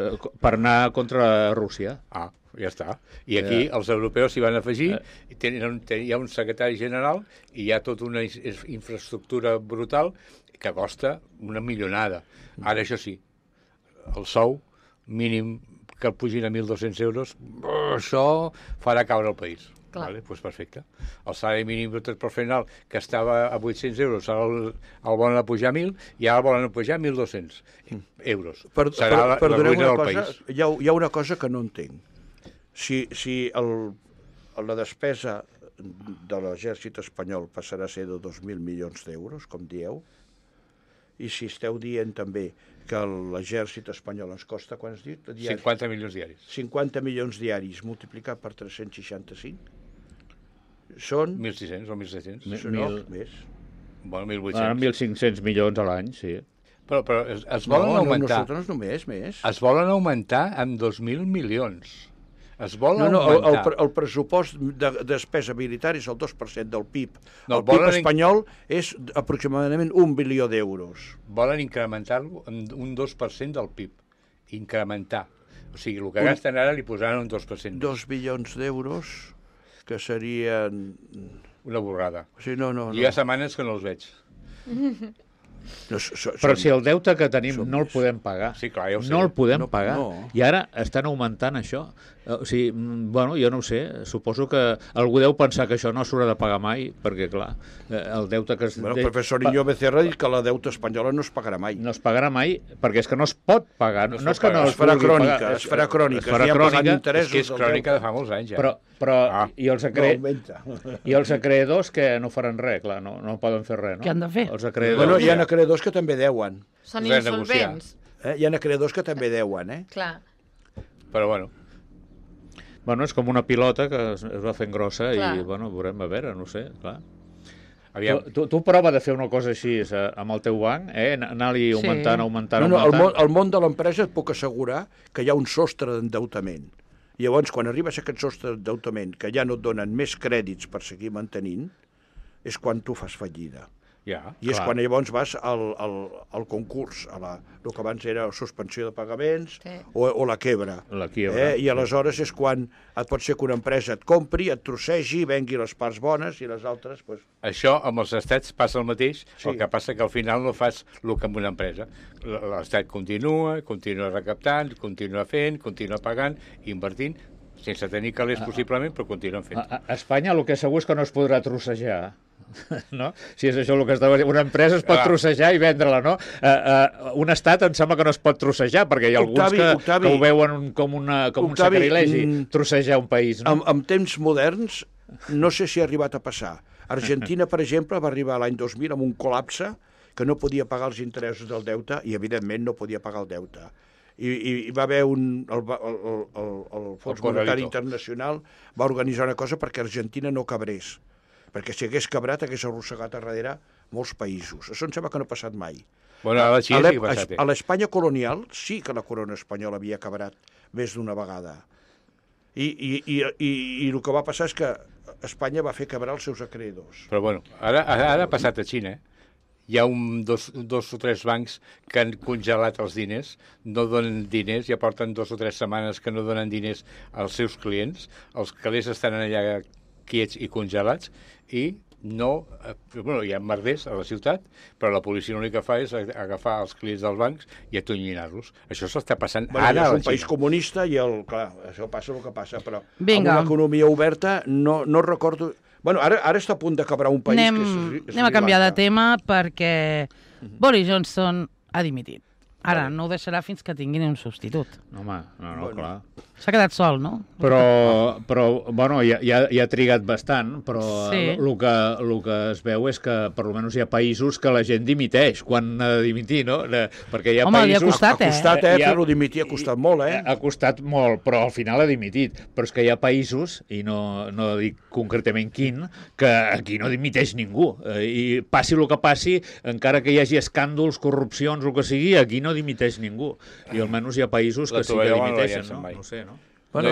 Speaker 2: Per anar contra Rússia.
Speaker 5: Ah, ja està. I aquí els europeus s'hi van afegir, hi ha un secretari general i hi ha tota una infraestructura brutal que costa una milionada. Ara, això sí, el sou mínim que el pugin a 1.200 euros, això farà caure el país. Vale, doncs perfecte. El salari mínim professional, que estava a 800 euros, ara el volen pujar a 1.000 i ara el volen pujar a 1.200 euros. Serà la ruïna del país.
Speaker 3: Hi ha una cosa que no entenc. Si la despesa de l'exèrcit espanyol passarà a ser de 2.000 milions d'euros, com dieu, i si esteu dient també que l'exèrcit espanyol ens costa, quan has dit?
Speaker 5: 50 milions diaris.
Speaker 3: 50 milions diaris multiplicat per 365 són...
Speaker 5: 1.600 o 1.700.
Speaker 3: No, més.
Speaker 5: Bueno, 1.800.
Speaker 2: 1.500 milions a l'any, sí.
Speaker 5: Però es volen augmentar...
Speaker 3: No, nosaltres més.
Speaker 5: Es volen augmentar amb 2.000 milions. Es vol augmentar...
Speaker 3: El pressupost de despesa militar és el 2% del PIB. El PIB espanyol és aproximadament 1 bilió d'euros.
Speaker 5: Volen incrementar-lo amb un 2% del PIB. Incrementar. O sigui, el que gasten ara li posaran un 2%.
Speaker 3: 2 bilions d'euros, que serien...
Speaker 5: Una borrada.
Speaker 3: Sí, no.
Speaker 5: Hi ha setmanes que no els veig.
Speaker 2: Però si el deute que tenim no el podem pagar,
Speaker 5: sí, clar, ja ho sé.
Speaker 2: no el podem pagar, i ara estan augmentant això. O sigui, bueno, jo no ho sé, suposo que algú deu pensar que això no s'haurà de pagar mai, perquè, clar, el deute que...
Speaker 3: Bueno, el professor Niño Becerra ha dit que la deuta espanyola no es pagarà mai.
Speaker 2: No es pagarà mai, perquè és que no es pot pagar. No és que no
Speaker 3: es farà crònica, es farà crònica.
Speaker 5: És que és crònica de fa molts anys, ja.
Speaker 2: Però i els acreedors que no faran res, clar, no poden fer res, no?
Speaker 1: Què han de fer?
Speaker 2: Els acreedors...
Speaker 3: Bueno, hi ha acreedors que també deuen.
Speaker 4: Són insolvents.
Speaker 3: Hi ha acreedors que també deuen,
Speaker 4: Clar.
Speaker 5: Però, bueno...
Speaker 2: Bueno, és com una pilota que es va fent grossa i, bueno, veurem, a veure, no sé, clar. Tu prova de fer una cosa així amb el teu banc, anar-li augmentant.
Speaker 3: El món de l'empresa et puc assegurar que hi ha un sostre d'endeutament. Llavors, quan arribes a aquest sostre d'endeutament, que ja no et donen més crèdits per seguir mantenint, és quan tu fas fallida. I és quan llavors vas al concurs, el que abans era suspensió de pagaments o la quebra. I aleshores és quan pot ser que una empresa et compri, et trossegi, vengui les parts bones i les altres...
Speaker 5: Això amb els estats passa el mateix, el que passa que al final no fas el que amb una empresa. L'estat continua recaptant, continua fent, continua pagant, invertint, sense tenir calés possiblement, però continuen fent.
Speaker 2: A Espanya el que segur és que no es podrà trossejar. No? Si és això el que estava dient, una empresa es pot trossejar i vendre-la, no? Un estat em sembla que no es pot trossejar, perquè hi ha alguns que ho veuen com un sacrilegi, trossejar un país, no?
Speaker 3: En temps moderns, no sé si ha arribat a passar. Argentina, per exemple, va arribar l'any 2000 amb un col·lapse que no podia pagar els interessos del deute i, evidentment, no podia pagar el deute. I va haver el Fons Monetari Internacional va organitzar una cosa perquè Argentina no cabrés, perquè si hagués cabrat hagués arrossegat a darrere molts països. Això em sembla que no ha passat mai.
Speaker 5: Bueno, a la Xina sí que ha passat.
Speaker 3: A l'Espanya colonial sí que la corona espanyola havia cabrat més d'una vegada. I el que va passar és que Espanya va fer cabrar els seus acreedors.
Speaker 5: Però bueno, ara ha passat a Xina, Hi ha dos o tres bancs que han congelat els diners, no donen diners, ja porten 2 o 3 setmanes que no donen diners als seus clients, els calés estan allà quiets i congelats, i no, bueno, hi ha merders a la ciutat, però la policia l'únic que fa és agafar els clients dels bancs i atonyinar-los. Això s'està passant ara a la Xina.
Speaker 3: És un país comunista i, clar, això passa el que passa, però amb una economia oberta no recordo... Bueno, ara està a punt d'acabar un país que és
Speaker 1: Anem a canviar de tema perquè Boris Johnson ha dimitit. Ara no ho deixarà fins que tinguin un substitut.
Speaker 2: Home, no, clar.
Speaker 1: S'ha quedat sol, no?
Speaker 2: Però bueno, ja ha trigat bastant, però el que es veu és que per almenys hi ha països que la gent dimiteix quan ha de dimitir, no? Perquè hi ha
Speaker 1: països...
Speaker 2: li
Speaker 1: ha costat,
Speaker 3: Ha costat, fer-lo dimitir, ha costat molt,
Speaker 2: Ha costat molt, però al final ha dimitit. Però és que hi ha països, i no dic concretament quin, que aquí no dimiteix ningú. I passi el que passi, encara que hi hagi escàndols, corrupcions, el que sigui, aquí no dimiteix ningú. I almenys hi ha països que sí que dimiteixen, no? No sé, no?
Speaker 3: Bueno,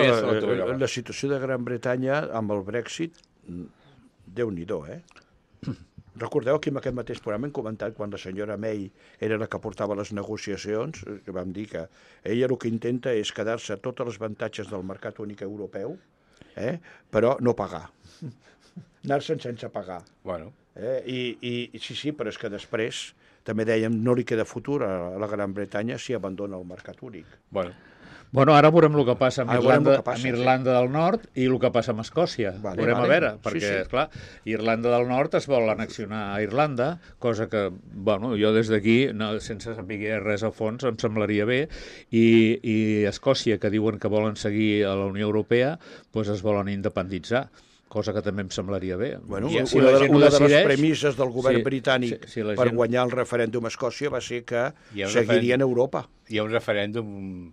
Speaker 3: la situació de Gran Bretanya amb el Brexit, Déu-n'hi-do, Recordeu que en aquest mateix programa hem comentat quan la senyora May era la que portava les negociacions, que vam dir que ella el que intenta és quedar-se tots els avantatges del mercat únic europeu, però no pagar. Anar-se'n sense pagar.
Speaker 5: Bueno.
Speaker 3: Sí, però és que després també dèiem no li queda futur a la Gran Bretanya si abandona el mercat únic.
Speaker 2: Bueno, ara veurem el que passa amb Irlanda del Nord i el que passa amb Escòcia. Veurem a veure, perquè, esclar, Irlanda del Nord es vol annexionar a Irlanda, cosa que, bueno, jo des d'aquí, sense saber res a fons, em semblaria bé, i Escòcia, que diuen que volen seguir a la Unió Europea, doncs es volen independitzar, cosa que també em semblaria bé.
Speaker 3: Bueno, una de les premisses del govern britànic per guanyar el referèndum a Escòcia va ser que seguirien a Europa.
Speaker 5: Hi ha un referèndum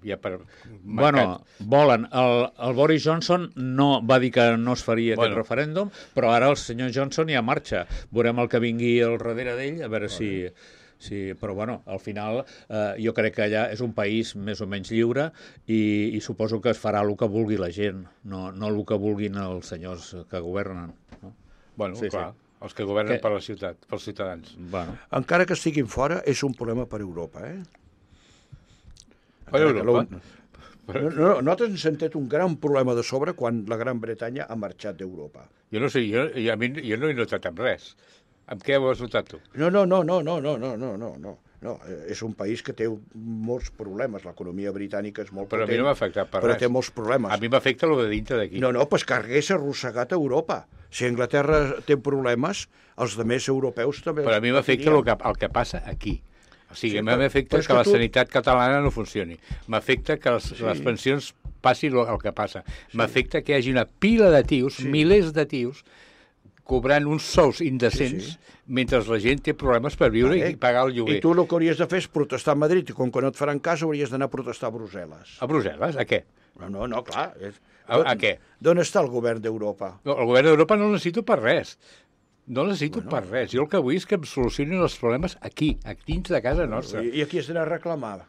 Speaker 5: ja per marcat.
Speaker 2: Bueno, volen. El Boris Johnson no va dir que no es faria aquest referèndum, però ara el senyor Johnson ja marxa. Veurem el que vingui al darrere d'ell, a veure si... Sí, però bueno, al final jo crec que allà és un país més o menys lliure i suposo que es farà el que vulgui la gent, no el que vulguin els senyors que governen. No?
Speaker 5: Bueno, clar, els que governen per la ciutat, pels ciutadans.
Speaker 2: Bueno.
Speaker 3: Encara que estiguin fora, és un problema per Europa,
Speaker 5: Per Europa?
Speaker 3: Nosaltres ens hem tret un gran problema de sobre quan la Gran Bretanya ha marxat d'Europa.
Speaker 5: Jo no sé, jo no he notat amb res. Amb què ho has notat tu?
Speaker 3: No, és un país que té molts problemes. L'economia britànica és molt potent.
Speaker 5: Però a mi no m'ha afectat per res.
Speaker 3: Però té molts problemes.
Speaker 5: A mi m'afecta el de dintre d'aquí.
Speaker 3: No, pues que hagués arrossegat a Europa. Si Anglaterra té problemes, els altres europeus també...
Speaker 5: Però a mi m'afecta el que passa aquí. O sigui, m'afecta que la sanitat catalana no funcioni. M'afecta que les pensions passin el que passa. M'afecta que hi hagi una pila de tios, milers de tios, cobrant uns sous indecents mentre la gent té problemes per viure i pagar el lloguer.
Speaker 3: I tu el que hauries de fer és protestar a Madrid, i com que no et faran cas hauries d'anar a protestar a Brussel·les.
Speaker 5: A Brussel·les? A què?
Speaker 3: No, clar.
Speaker 5: A què?
Speaker 3: D'on està el govern d'Europa?
Speaker 5: No, el govern d'Europa no el necessito per res. No el necessito per res. Jo el que vull és que em solucionin els problemes aquí, dins de casa nostra.
Speaker 3: I aquí has d'anar a reclamar?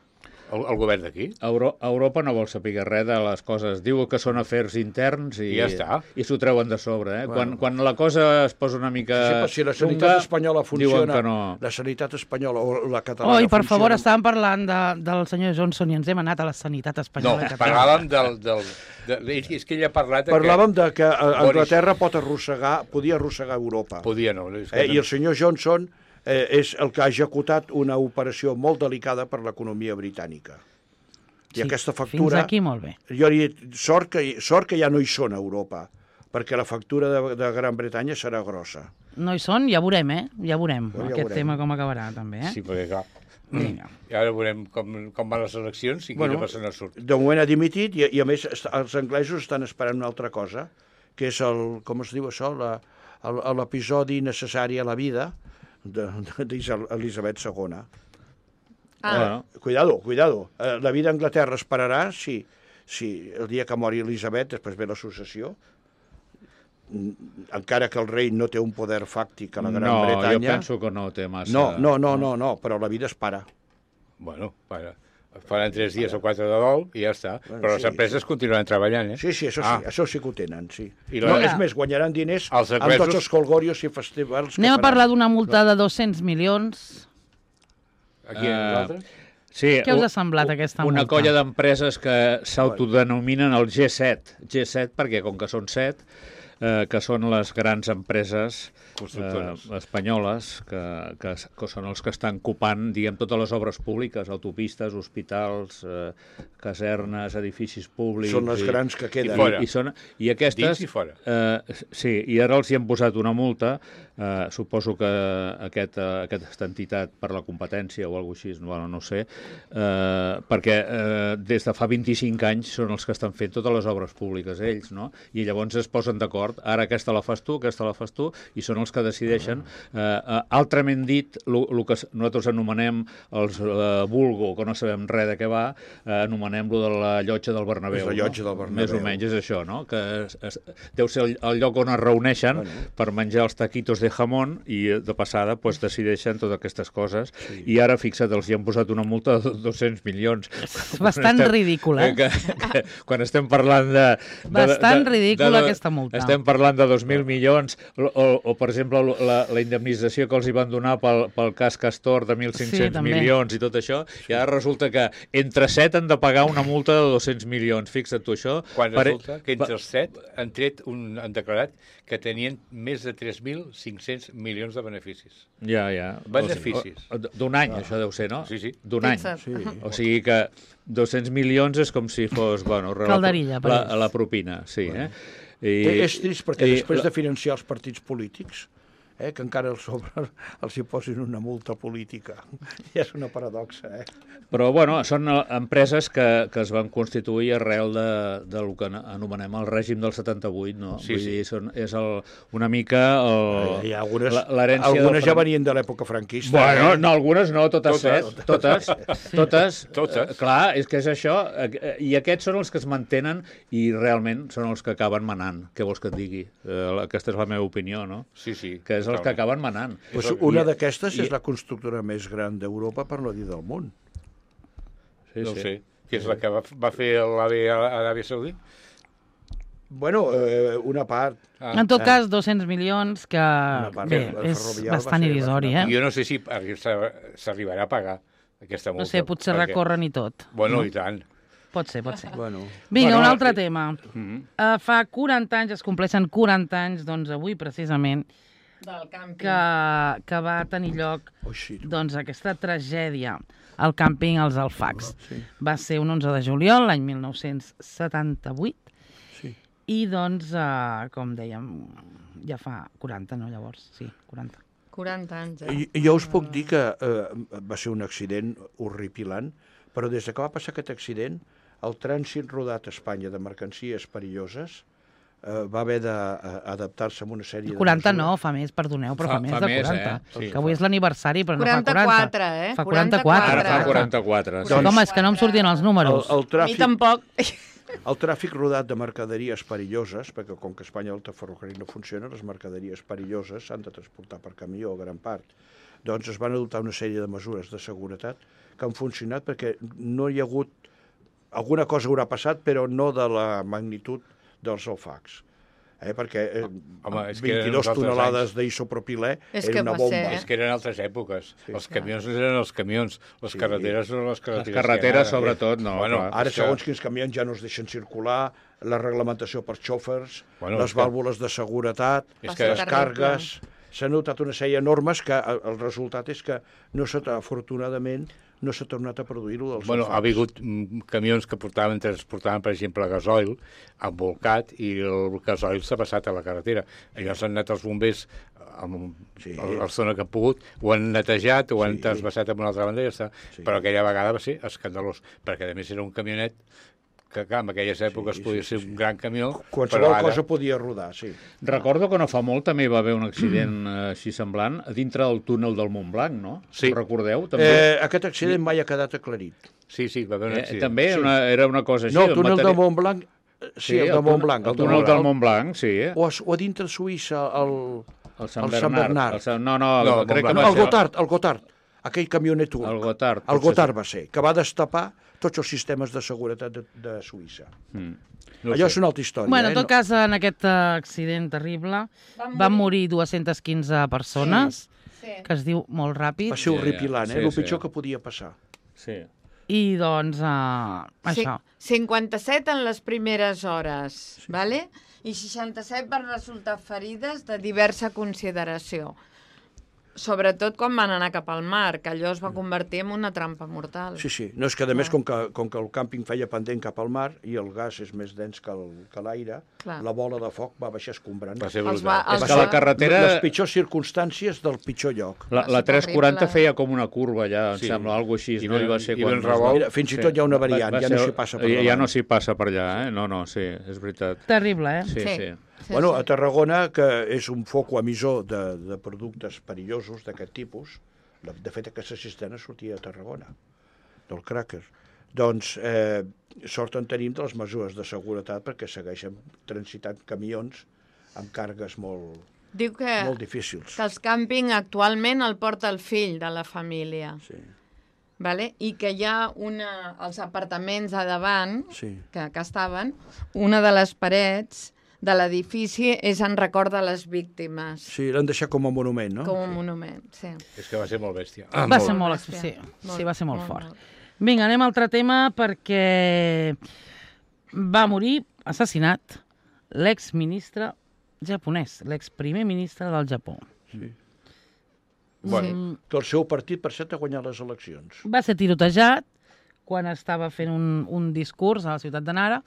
Speaker 5: El govern d'aquí?
Speaker 2: Europa no vol saber res de les coses. Diu que són afers interns i
Speaker 5: ja està.
Speaker 2: I s'ho treuen de sobre. Quan la cosa es posa una mica...
Speaker 3: Si la sanitat espanyola funciona,
Speaker 2: no.
Speaker 3: La sanitat espanyola o la catalana
Speaker 1: funciona... per favor, estàvem parlant del senyor Johnson i ens hem anat a la sanitat espanyola.
Speaker 5: No, parlàvem és que ell ha parlat...
Speaker 3: Parlàvem de que Anglaterra podia arrossegar Europa.
Speaker 5: Podia, no.
Speaker 3: I el senyor Johnson... és el que ha executat una operació molt delicada per l'economia britànica. I aquesta factura...
Speaker 1: Fins aquí molt bé.
Speaker 3: Jo he dit, sort que ja no hi són a Europa, perquè la factura de Gran Bretanya serà grossa.
Speaker 1: No hi són, ja veurem, Ja veurem aquest tema com acabarà, també,
Speaker 5: Sí, perquè clar... I ara veurem com van les eleccions i quina persona surt.
Speaker 3: De moment ha dimitit i a més els anglesos estan esperant una altra cosa, que és com es diu això, l'episodi necessari a la vida d'Elisabet II. Cuidado. La vida a Anglaterra esperarà si el dia que mori Elisabet, després ve la successió, encara que el rei no té un poder fàctic a la Gran Bretanya...
Speaker 2: No, jo penso que no té massa...
Speaker 3: No, però la vida es para.
Speaker 5: Bueno, faran 3 dies o 4 de dol i ja està. Però les empreses continuaran treballant,
Speaker 3: Sí, això sí que ho tenen, sí. És més, guanyaran diners amb tots els colgorios i festivals.
Speaker 1: Anem a parlar d'una multa de 200 milions.
Speaker 5: Aquí a nosaltres?
Speaker 2: Sí,
Speaker 1: què us ha semblat aquesta multa?
Speaker 2: Una colla d'empreses que s'autodenominen el G7. G7 perquè, com que són 7, que són les grans empreses espanyoles, que són els que estan copant, diguem, totes les obres públiques, autopistes, hospitals, casernes, edificis públics...
Speaker 3: Són les grans que queden.
Speaker 2: I aquestes...
Speaker 5: Dins i fora.
Speaker 2: Sí, i ara els hi han posat una multa, suposo que aquesta entitat per la competència o alguna cosa així, no sé, perquè des de fa 25 anys són els que estan fent totes les obres públiques ells, no? I llavors es posen d'acord, ara aquesta la fas tu, i són els que decideixen. Altrament dit, el que nosaltres anomenem els vulgo, que no sabem res de què va, anomenem-lo de la llotja del Bernabéu.
Speaker 3: La llotja del Bernabéu.
Speaker 2: Més o menys és això, no? Que deu ser el lloc on es reuneixen per menjar els taquitos de jamón i de passada decideixen totes aquestes coses. I ara, fixa't, els hi han posat una multa de 200 milions.
Speaker 1: Bastant ridícula.
Speaker 2: Quan estem parlant de...
Speaker 1: Bastant ridícula aquesta multa.
Speaker 2: Estem parlant de 2.000 milions o per exemple, la indemnització que els hi van donar pel cas Castor de 1.500 milions i tot això, i ara resulta que entre 7 han de pagar una multa de 200 milions. Fixa't tu això.
Speaker 5: Quan resulta que entre els 7 han declarat que tenien més de 3.500 milions de beneficis.
Speaker 2: Ja.
Speaker 5: Beneficis.
Speaker 2: D'un any, això deu ser, no?
Speaker 5: Sí.
Speaker 2: D'un any. O sigui que 200 milions és com si fos,
Speaker 1: calderilla,
Speaker 2: la propina, sí.
Speaker 3: És trist perquè després de financiar els partits polítics, que encara els hi posin una multa política. Ja és una paradoxa,
Speaker 2: Però, són empreses que es van constituir arrel del que anomenem el règim del 78, no?
Speaker 5: Sí,
Speaker 2: Vull dir, és una mica l'herència...
Speaker 3: Algunes ja venien de l'època franquista.
Speaker 2: No, algunes no, totes. Clar, és que és això. I aquests són els que es mantenen i realment són els que acaben manant. Què vols que et digui? Aquesta és la meva opinió, no?
Speaker 5: Sí.
Speaker 2: Que és els que acaben manant.
Speaker 3: Una d'aquestes és la constructora més gran d'Europa, per no dir del món.
Speaker 5: No sé. Que és la que va fer l'Aràbia Saudí?
Speaker 3: Una part.
Speaker 1: En tot cas, 200 milions, que és bastant irrisori,
Speaker 5: Jo no sé si s'arribarà a pagar aquesta multa.
Speaker 1: No sé, potser recorren i tot.
Speaker 5: I tant.
Speaker 1: Pot ser. Vinga, un altre tema. Fa 40 anys, es compleixen 40 anys, doncs avui precisament, que va tenir lloc doncs, aquesta tragèdia al càmping Els Alfacs. Va ser un 11 de juliol, l'any 1978, i doncs, com dèiem, ja fa 40, no, llavors? Sí, 40.
Speaker 4: 40 anys,
Speaker 3: Jo us puc dir que va ser un accident horripilant, però des que va passar aquest accident, el trànsit rodat a Espanya de mercancies perilloses va haver d'adaptar-se a una sèrie de
Speaker 1: 40 no, fa més, perdoneu, però fa més de 40.
Speaker 2: Sí,
Speaker 1: que avui és l'aniversari, però no fa
Speaker 4: 44,
Speaker 1: 40. Fa 44.
Speaker 2: Ara fa 44.
Speaker 1: Doncs, home, és que no em sortien els números.
Speaker 4: A mi tampoc.
Speaker 3: El tràfic rodat de mercaderies perilloses, perquè com que a Espanya el ferrocarril no funciona, les mercaderies perilloses s'han de transportar per camió, gran part. Doncs es van adoptar una sèrie de mesures de seguretat que han funcionat perquè no hi ha hagut... Alguna cosa haurà passat, però no de la magnitud dels Alfacs. Perquè 22 tonelades d'isopropilè era una bomba.
Speaker 5: És que eren altres èpoques. Els camions eren els camions, les carreteres eren les carreteres.
Speaker 2: Les carreteres, sobretot, no.
Speaker 3: Ara, segons quins camions ja no es deixen circular, la reglamentació per xòfers, les vàlvules de seguretat, les cargues... S'han notat una sèrie de normes que el resultat és que, afortunadament, no s'ha tornat a produir-ho dels Alfacs.
Speaker 5: Ha hagut camions que transportaven, per exemple, gasoil embolcat i el gasoil s'ha passat a la carretera. Allò s'han anat els bombers a la zona que han pogut, ho han netejat, ho han trasbassat a una altra banda i ja està. Però aquella vegada va ser escandalós, perquè a més era un camionet que en aquelles èpoques podia ser un gran camió.
Speaker 3: Qualsevol cosa podia rodar, sí.
Speaker 2: Recordo que no fa molt també va haver un accident així semblant a dintre del túnel del Montblanc, no?
Speaker 5: Sí.
Speaker 2: Ho recordeu?
Speaker 3: Aquest accident mai ha quedat aclarit.
Speaker 5: Sí, va haver un accident.
Speaker 2: També era una cosa així.
Speaker 3: No, el túnel del Montblanc... Sí, el de Montblanc.
Speaker 2: El túnel del Montblanc, sí.
Speaker 3: O a dintre de Suïssa, el Sant Bernard. El Gotthard. Aquell camionet
Speaker 2: El Gotthard.
Speaker 3: El Gotthard va ser, que va destapar tots els sistemes de seguretat de Suïssa. Allò és una altra història.
Speaker 1: Bueno, en tot cas, en aquest accident terrible van morir 215 persones, que es diu molt ràpid.
Speaker 3: Va ser horripilant, el pitjor que podia passar.
Speaker 2: Sí.
Speaker 1: I doncs, això.
Speaker 4: 57 en les primeres hores, vale? I 67 van resultar ferides de diversa consideració. Sobretot quan van anar cap al mar, que allò es va convertir en una trampa mortal.
Speaker 3: Sí. No, és que a més, com que el càmping feia pendent cap al mar i el gas és més dens que l'aire, la bola de foc va baixar escombrant.
Speaker 5: Va ser brutal.
Speaker 2: És que la carretera...
Speaker 3: Les pitjors circumstàncies del pitjor lloc.
Speaker 2: La 340 feia com una curva allà, em sembla, alguna cosa així. No hi va ser quan...
Speaker 3: Fins i tot hi ha una variant, ja no s'hi passa per allà.
Speaker 2: Ja no s'hi passa per allà, No, sí, és veritat.
Speaker 1: Terrible,
Speaker 2: Sí.
Speaker 3: Bueno, a Tarragona, que és un foc emissor de productes perillosos d'aquest tipus, de fet aquesta cisterna sortia a Tarragona, del cràquer, doncs sort en tenim de les mesures de seguretat perquè segueixen transitant camions amb càrregues molt difícils.
Speaker 4: Que els càmping actualment el porta el fill de la família.
Speaker 3: Sí.
Speaker 4: Vale? I que hi ha els apartaments a davant, que estaven, una de les parets de l'edifici és en record de les víctimes.
Speaker 3: Sí, l'han deixat com a monument, no?
Speaker 4: Com a monument, sí.
Speaker 5: És que va ser molt bèstia.
Speaker 1: Va ser molt fort. Vinga, anem a altre tema perquè va morir assassinat l'exministre japonès, l'exprimer ministre del Japó.
Speaker 3: Sí. Bueno, que el seu partit, per cert, ha guanyat les eleccions.
Speaker 1: Va ser tirotejat quan estava fent un discurs a la ciutat de Nara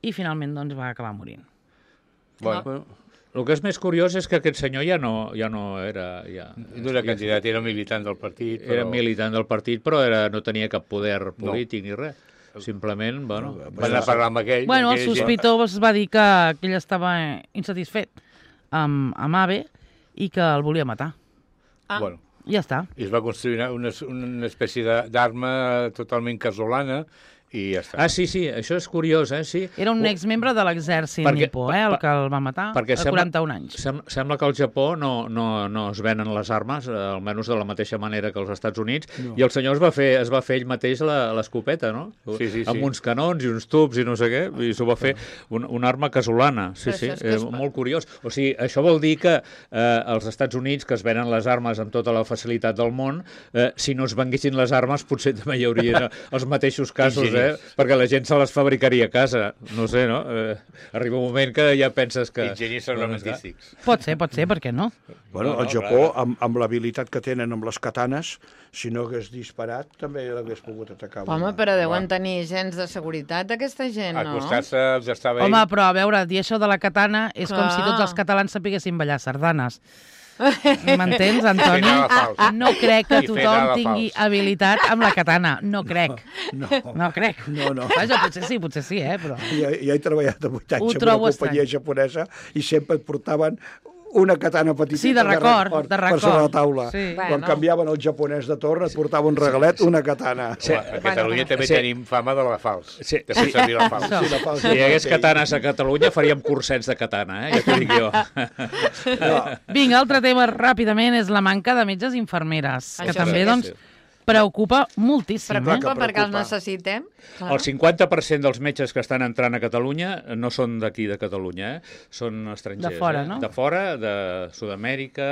Speaker 1: i finalment doncs, va acabar morint.
Speaker 2: Bueno, el que és més curiós és que aquest senyor ja no era...
Speaker 5: No era candidat, era militant del partit.
Speaker 2: Era militant del partit, però no tenia cap poder polític ni res. Simplement, bueno...
Speaker 5: Va anar a parlar amb aquell...
Speaker 1: Bueno, el sospitós va dir que ell estava insatisfet amb Abe i que el volia matar.
Speaker 5: Bueno.
Speaker 1: Ja està.
Speaker 5: I es va construir una espècie d'arma totalment casolana i ja està.
Speaker 2: Sí, això és curiós, sí.
Speaker 1: Era un exmembre de l'exèrcit nipó, el que el va matar a 41 anys.
Speaker 2: Sembla que al Japó no es venen les armes, almenys de la mateixa manera que als Estats Units, i el senyor es va fer ell mateix l'escopeta, no?
Speaker 5: Sí.
Speaker 2: Amb uns canons i uns tubs i no sé què, i s'ho va fer una arma casolana. Sí, molt curiós. O sigui, això vol dir que als Estats Units, que es venen les armes amb tota la facilitat del món, si no es venguessin les armes, potser també hi hauria els mateixos casos, perquè la gent se les fabricaria a casa. No sé, no? Arriba un moment que ja penses que...
Speaker 5: Enginyers armamentístics.
Speaker 1: Pot ser, per què no?
Speaker 3: Bueno, al Japó, amb l'habilitat que tenen amb les katanes, si no hagués disparat, també l'hagués pogut atacar.
Speaker 4: Home, però deuen tenir gens de seguretat, aquesta gent, no?
Speaker 5: Acostar-se els estava ell.
Speaker 1: Home, però a veure, dir això de la katana és com si tots els catalans sapiguessin ballar sardanes. M'entens, Antoni? No crec que tothom tingui habilitat amb la katana. No crec. No crec.
Speaker 3: No.
Speaker 1: Vaja, potser sí, però...
Speaker 3: Ja he treballat 8 anys en una companyia japonesa i sempre et portaven una katana petita
Speaker 1: de record,
Speaker 3: per sobre la taula.
Speaker 1: Sí.
Speaker 3: Quan canviaven el japonès de torn et portava un regalet, una katana.
Speaker 5: Sí. A Catalunya també tenim fama de la fals. De fer servir la fals.
Speaker 2: Si hi hagués katanes a Catalunya faríem cursets de katana, ja t'ho dic jo.
Speaker 1: Vinga, altre tema ràpidament és la manca de metges i infermeres, que també, doncs, preocupa moltíssim.
Speaker 4: Preocupa perquè els necessitem.
Speaker 2: El 50% dels metges que estan entrant a Catalunya no són d'aquí de Catalunya, són estrangers.
Speaker 1: De fora, no?
Speaker 2: De fora, de Sud-amèrica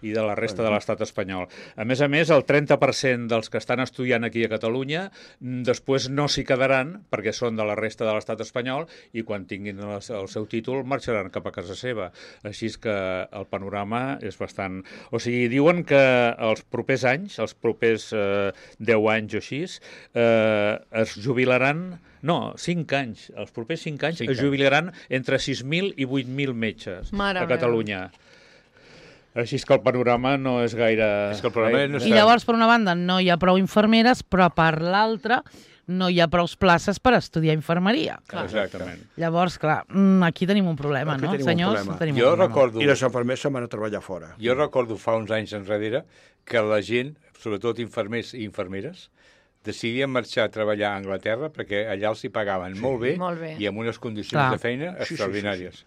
Speaker 2: i de la resta de l'estat espanyol. A més, el 30% dels que estan estudiant aquí a Catalunya després no s'hi quedaran perquè són de la resta de l'estat espanyol i quan tinguin el seu títol marxaran cap a casa seva. Així és que el panorama és bastant... O sigui, diuen que els propers anys, els propers 10 anys o així, es jubilaran... No, 5 anys. Els propers 5 anys es jubilaran entre 6.000 i 8.000 metges a Catalunya. Així és que el panorama no és gaire...
Speaker 1: I llavors, per una banda, no hi ha prou infermeres, però per l'altra no hi ha prou places per estudiar infermeria.
Speaker 2: Exactament.
Speaker 1: Llavors, clar, aquí tenim un problema, no, senyors?
Speaker 5: Jo recordo...
Speaker 3: I les infermers se'n van a treballar fora.
Speaker 5: Jo recordo fa uns anys enrere que la gent, sobretot infermers i infermeres, decidien marxar a treballar a Anglaterra perquè allà els hi pagaven molt bé i amb unes condicions de feina extraordinàries.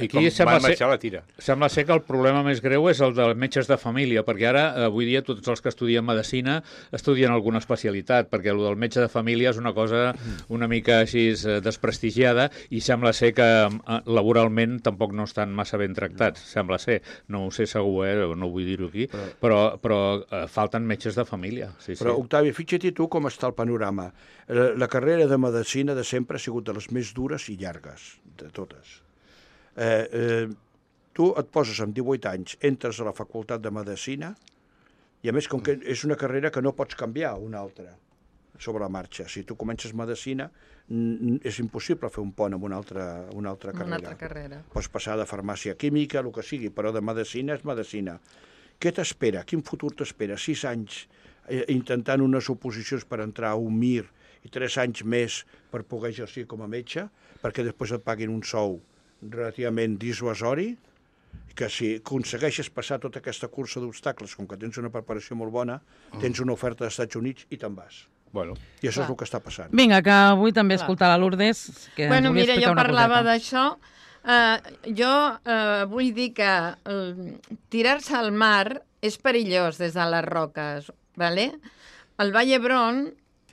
Speaker 5: I com van marxar a la tira.
Speaker 2: Sembla ser que el problema més greu és el dels metges de família, perquè ara, avui dia, tots els que estudien medicina estudien alguna especialitat, perquè el del metge de família és una cosa una mica així desprestigiada i sembla ser que laboralment tampoc no estan massa ben tractats, sembla ser. No ho sé segur, no vull dir-ho aquí, però falten metges de família.
Speaker 3: Però, Octavi, fixa't tu com està el panorama. La carrera de medicina de sempre ha sigut de les més dures i llargues, de totes. Tu et poses amb 18 anys, entres a la facultat de medicina i a més com que és una carrera que no pots canviar una altra sobre la marxa. Si tu comences medicina és impossible fer un pont amb una altra carrera. Pots passar de farmàcia química, el que sigui, però de medicina és medicina. Què t'espera? Quin futur t'espera? 6 anys intentant unes oposicions per entrar a un MIR i 3 anys més per poder exercir com a metge, perquè després et paguin un sou relativament dissuasori, que si aconsegueixes passar tota aquesta cursa d'obstacles, com que tens una preparació molt bona, tens una oferta dels Estats Units i te'n vas. I això és el que està passant.
Speaker 1: Vinga, que vull també escoltar la Lourdes.
Speaker 4: Mira, jo parlava d'això. Jo vull dir que tirar-se al mar és perillós des de les roques. El Vall d'Hebron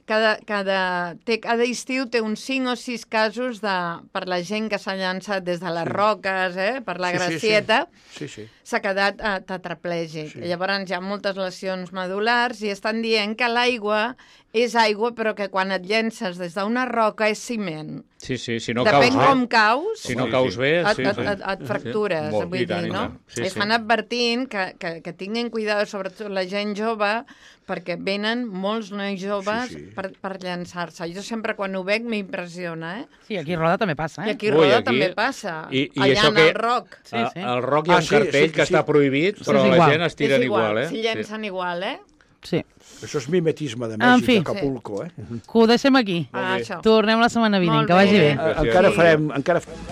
Speaker 4: cada estiu té uns 5 o 6 casos per la gent que s'ha llançat des de les roques, per la Gracieta, s'ha quedat tetraplègic. Llavors hi ha moltes lesions medul·lars i estan dient que l'aigua és aigua, però que quan et llences des d'una roca és ciment.
Speaker 2: Sí, si no caus bé.
Speaker 4: Depèn com caus,
Speaker 2: si no caus bé,
Speaker 4: et fractures. Vull dir, no? Estan advertint que tinguin cuidado, sobretot la gent jove, perquè venen molts nois joves per llançar-se. Jo sempre quan ho veig m'impressiona,
Speaker 1: Sí, aquí a Roda també passa,
Speaker 4: I aquí a Roda també passa. Allà en el Roc.
Speaker 2: Al Roc hi ha un cartell que està prohibit, però la gent es tiren igual,
Speaker 4: S'hi llencen igual,
Speaker 1: Sí.
Speaker 3: Això és mimetisme de Mèxic, d'Acapulco,
Speaker 1: Que ho deixem aquí. Tornem la setmana vinent, que vagi bé.
Speaker 3: Encara farem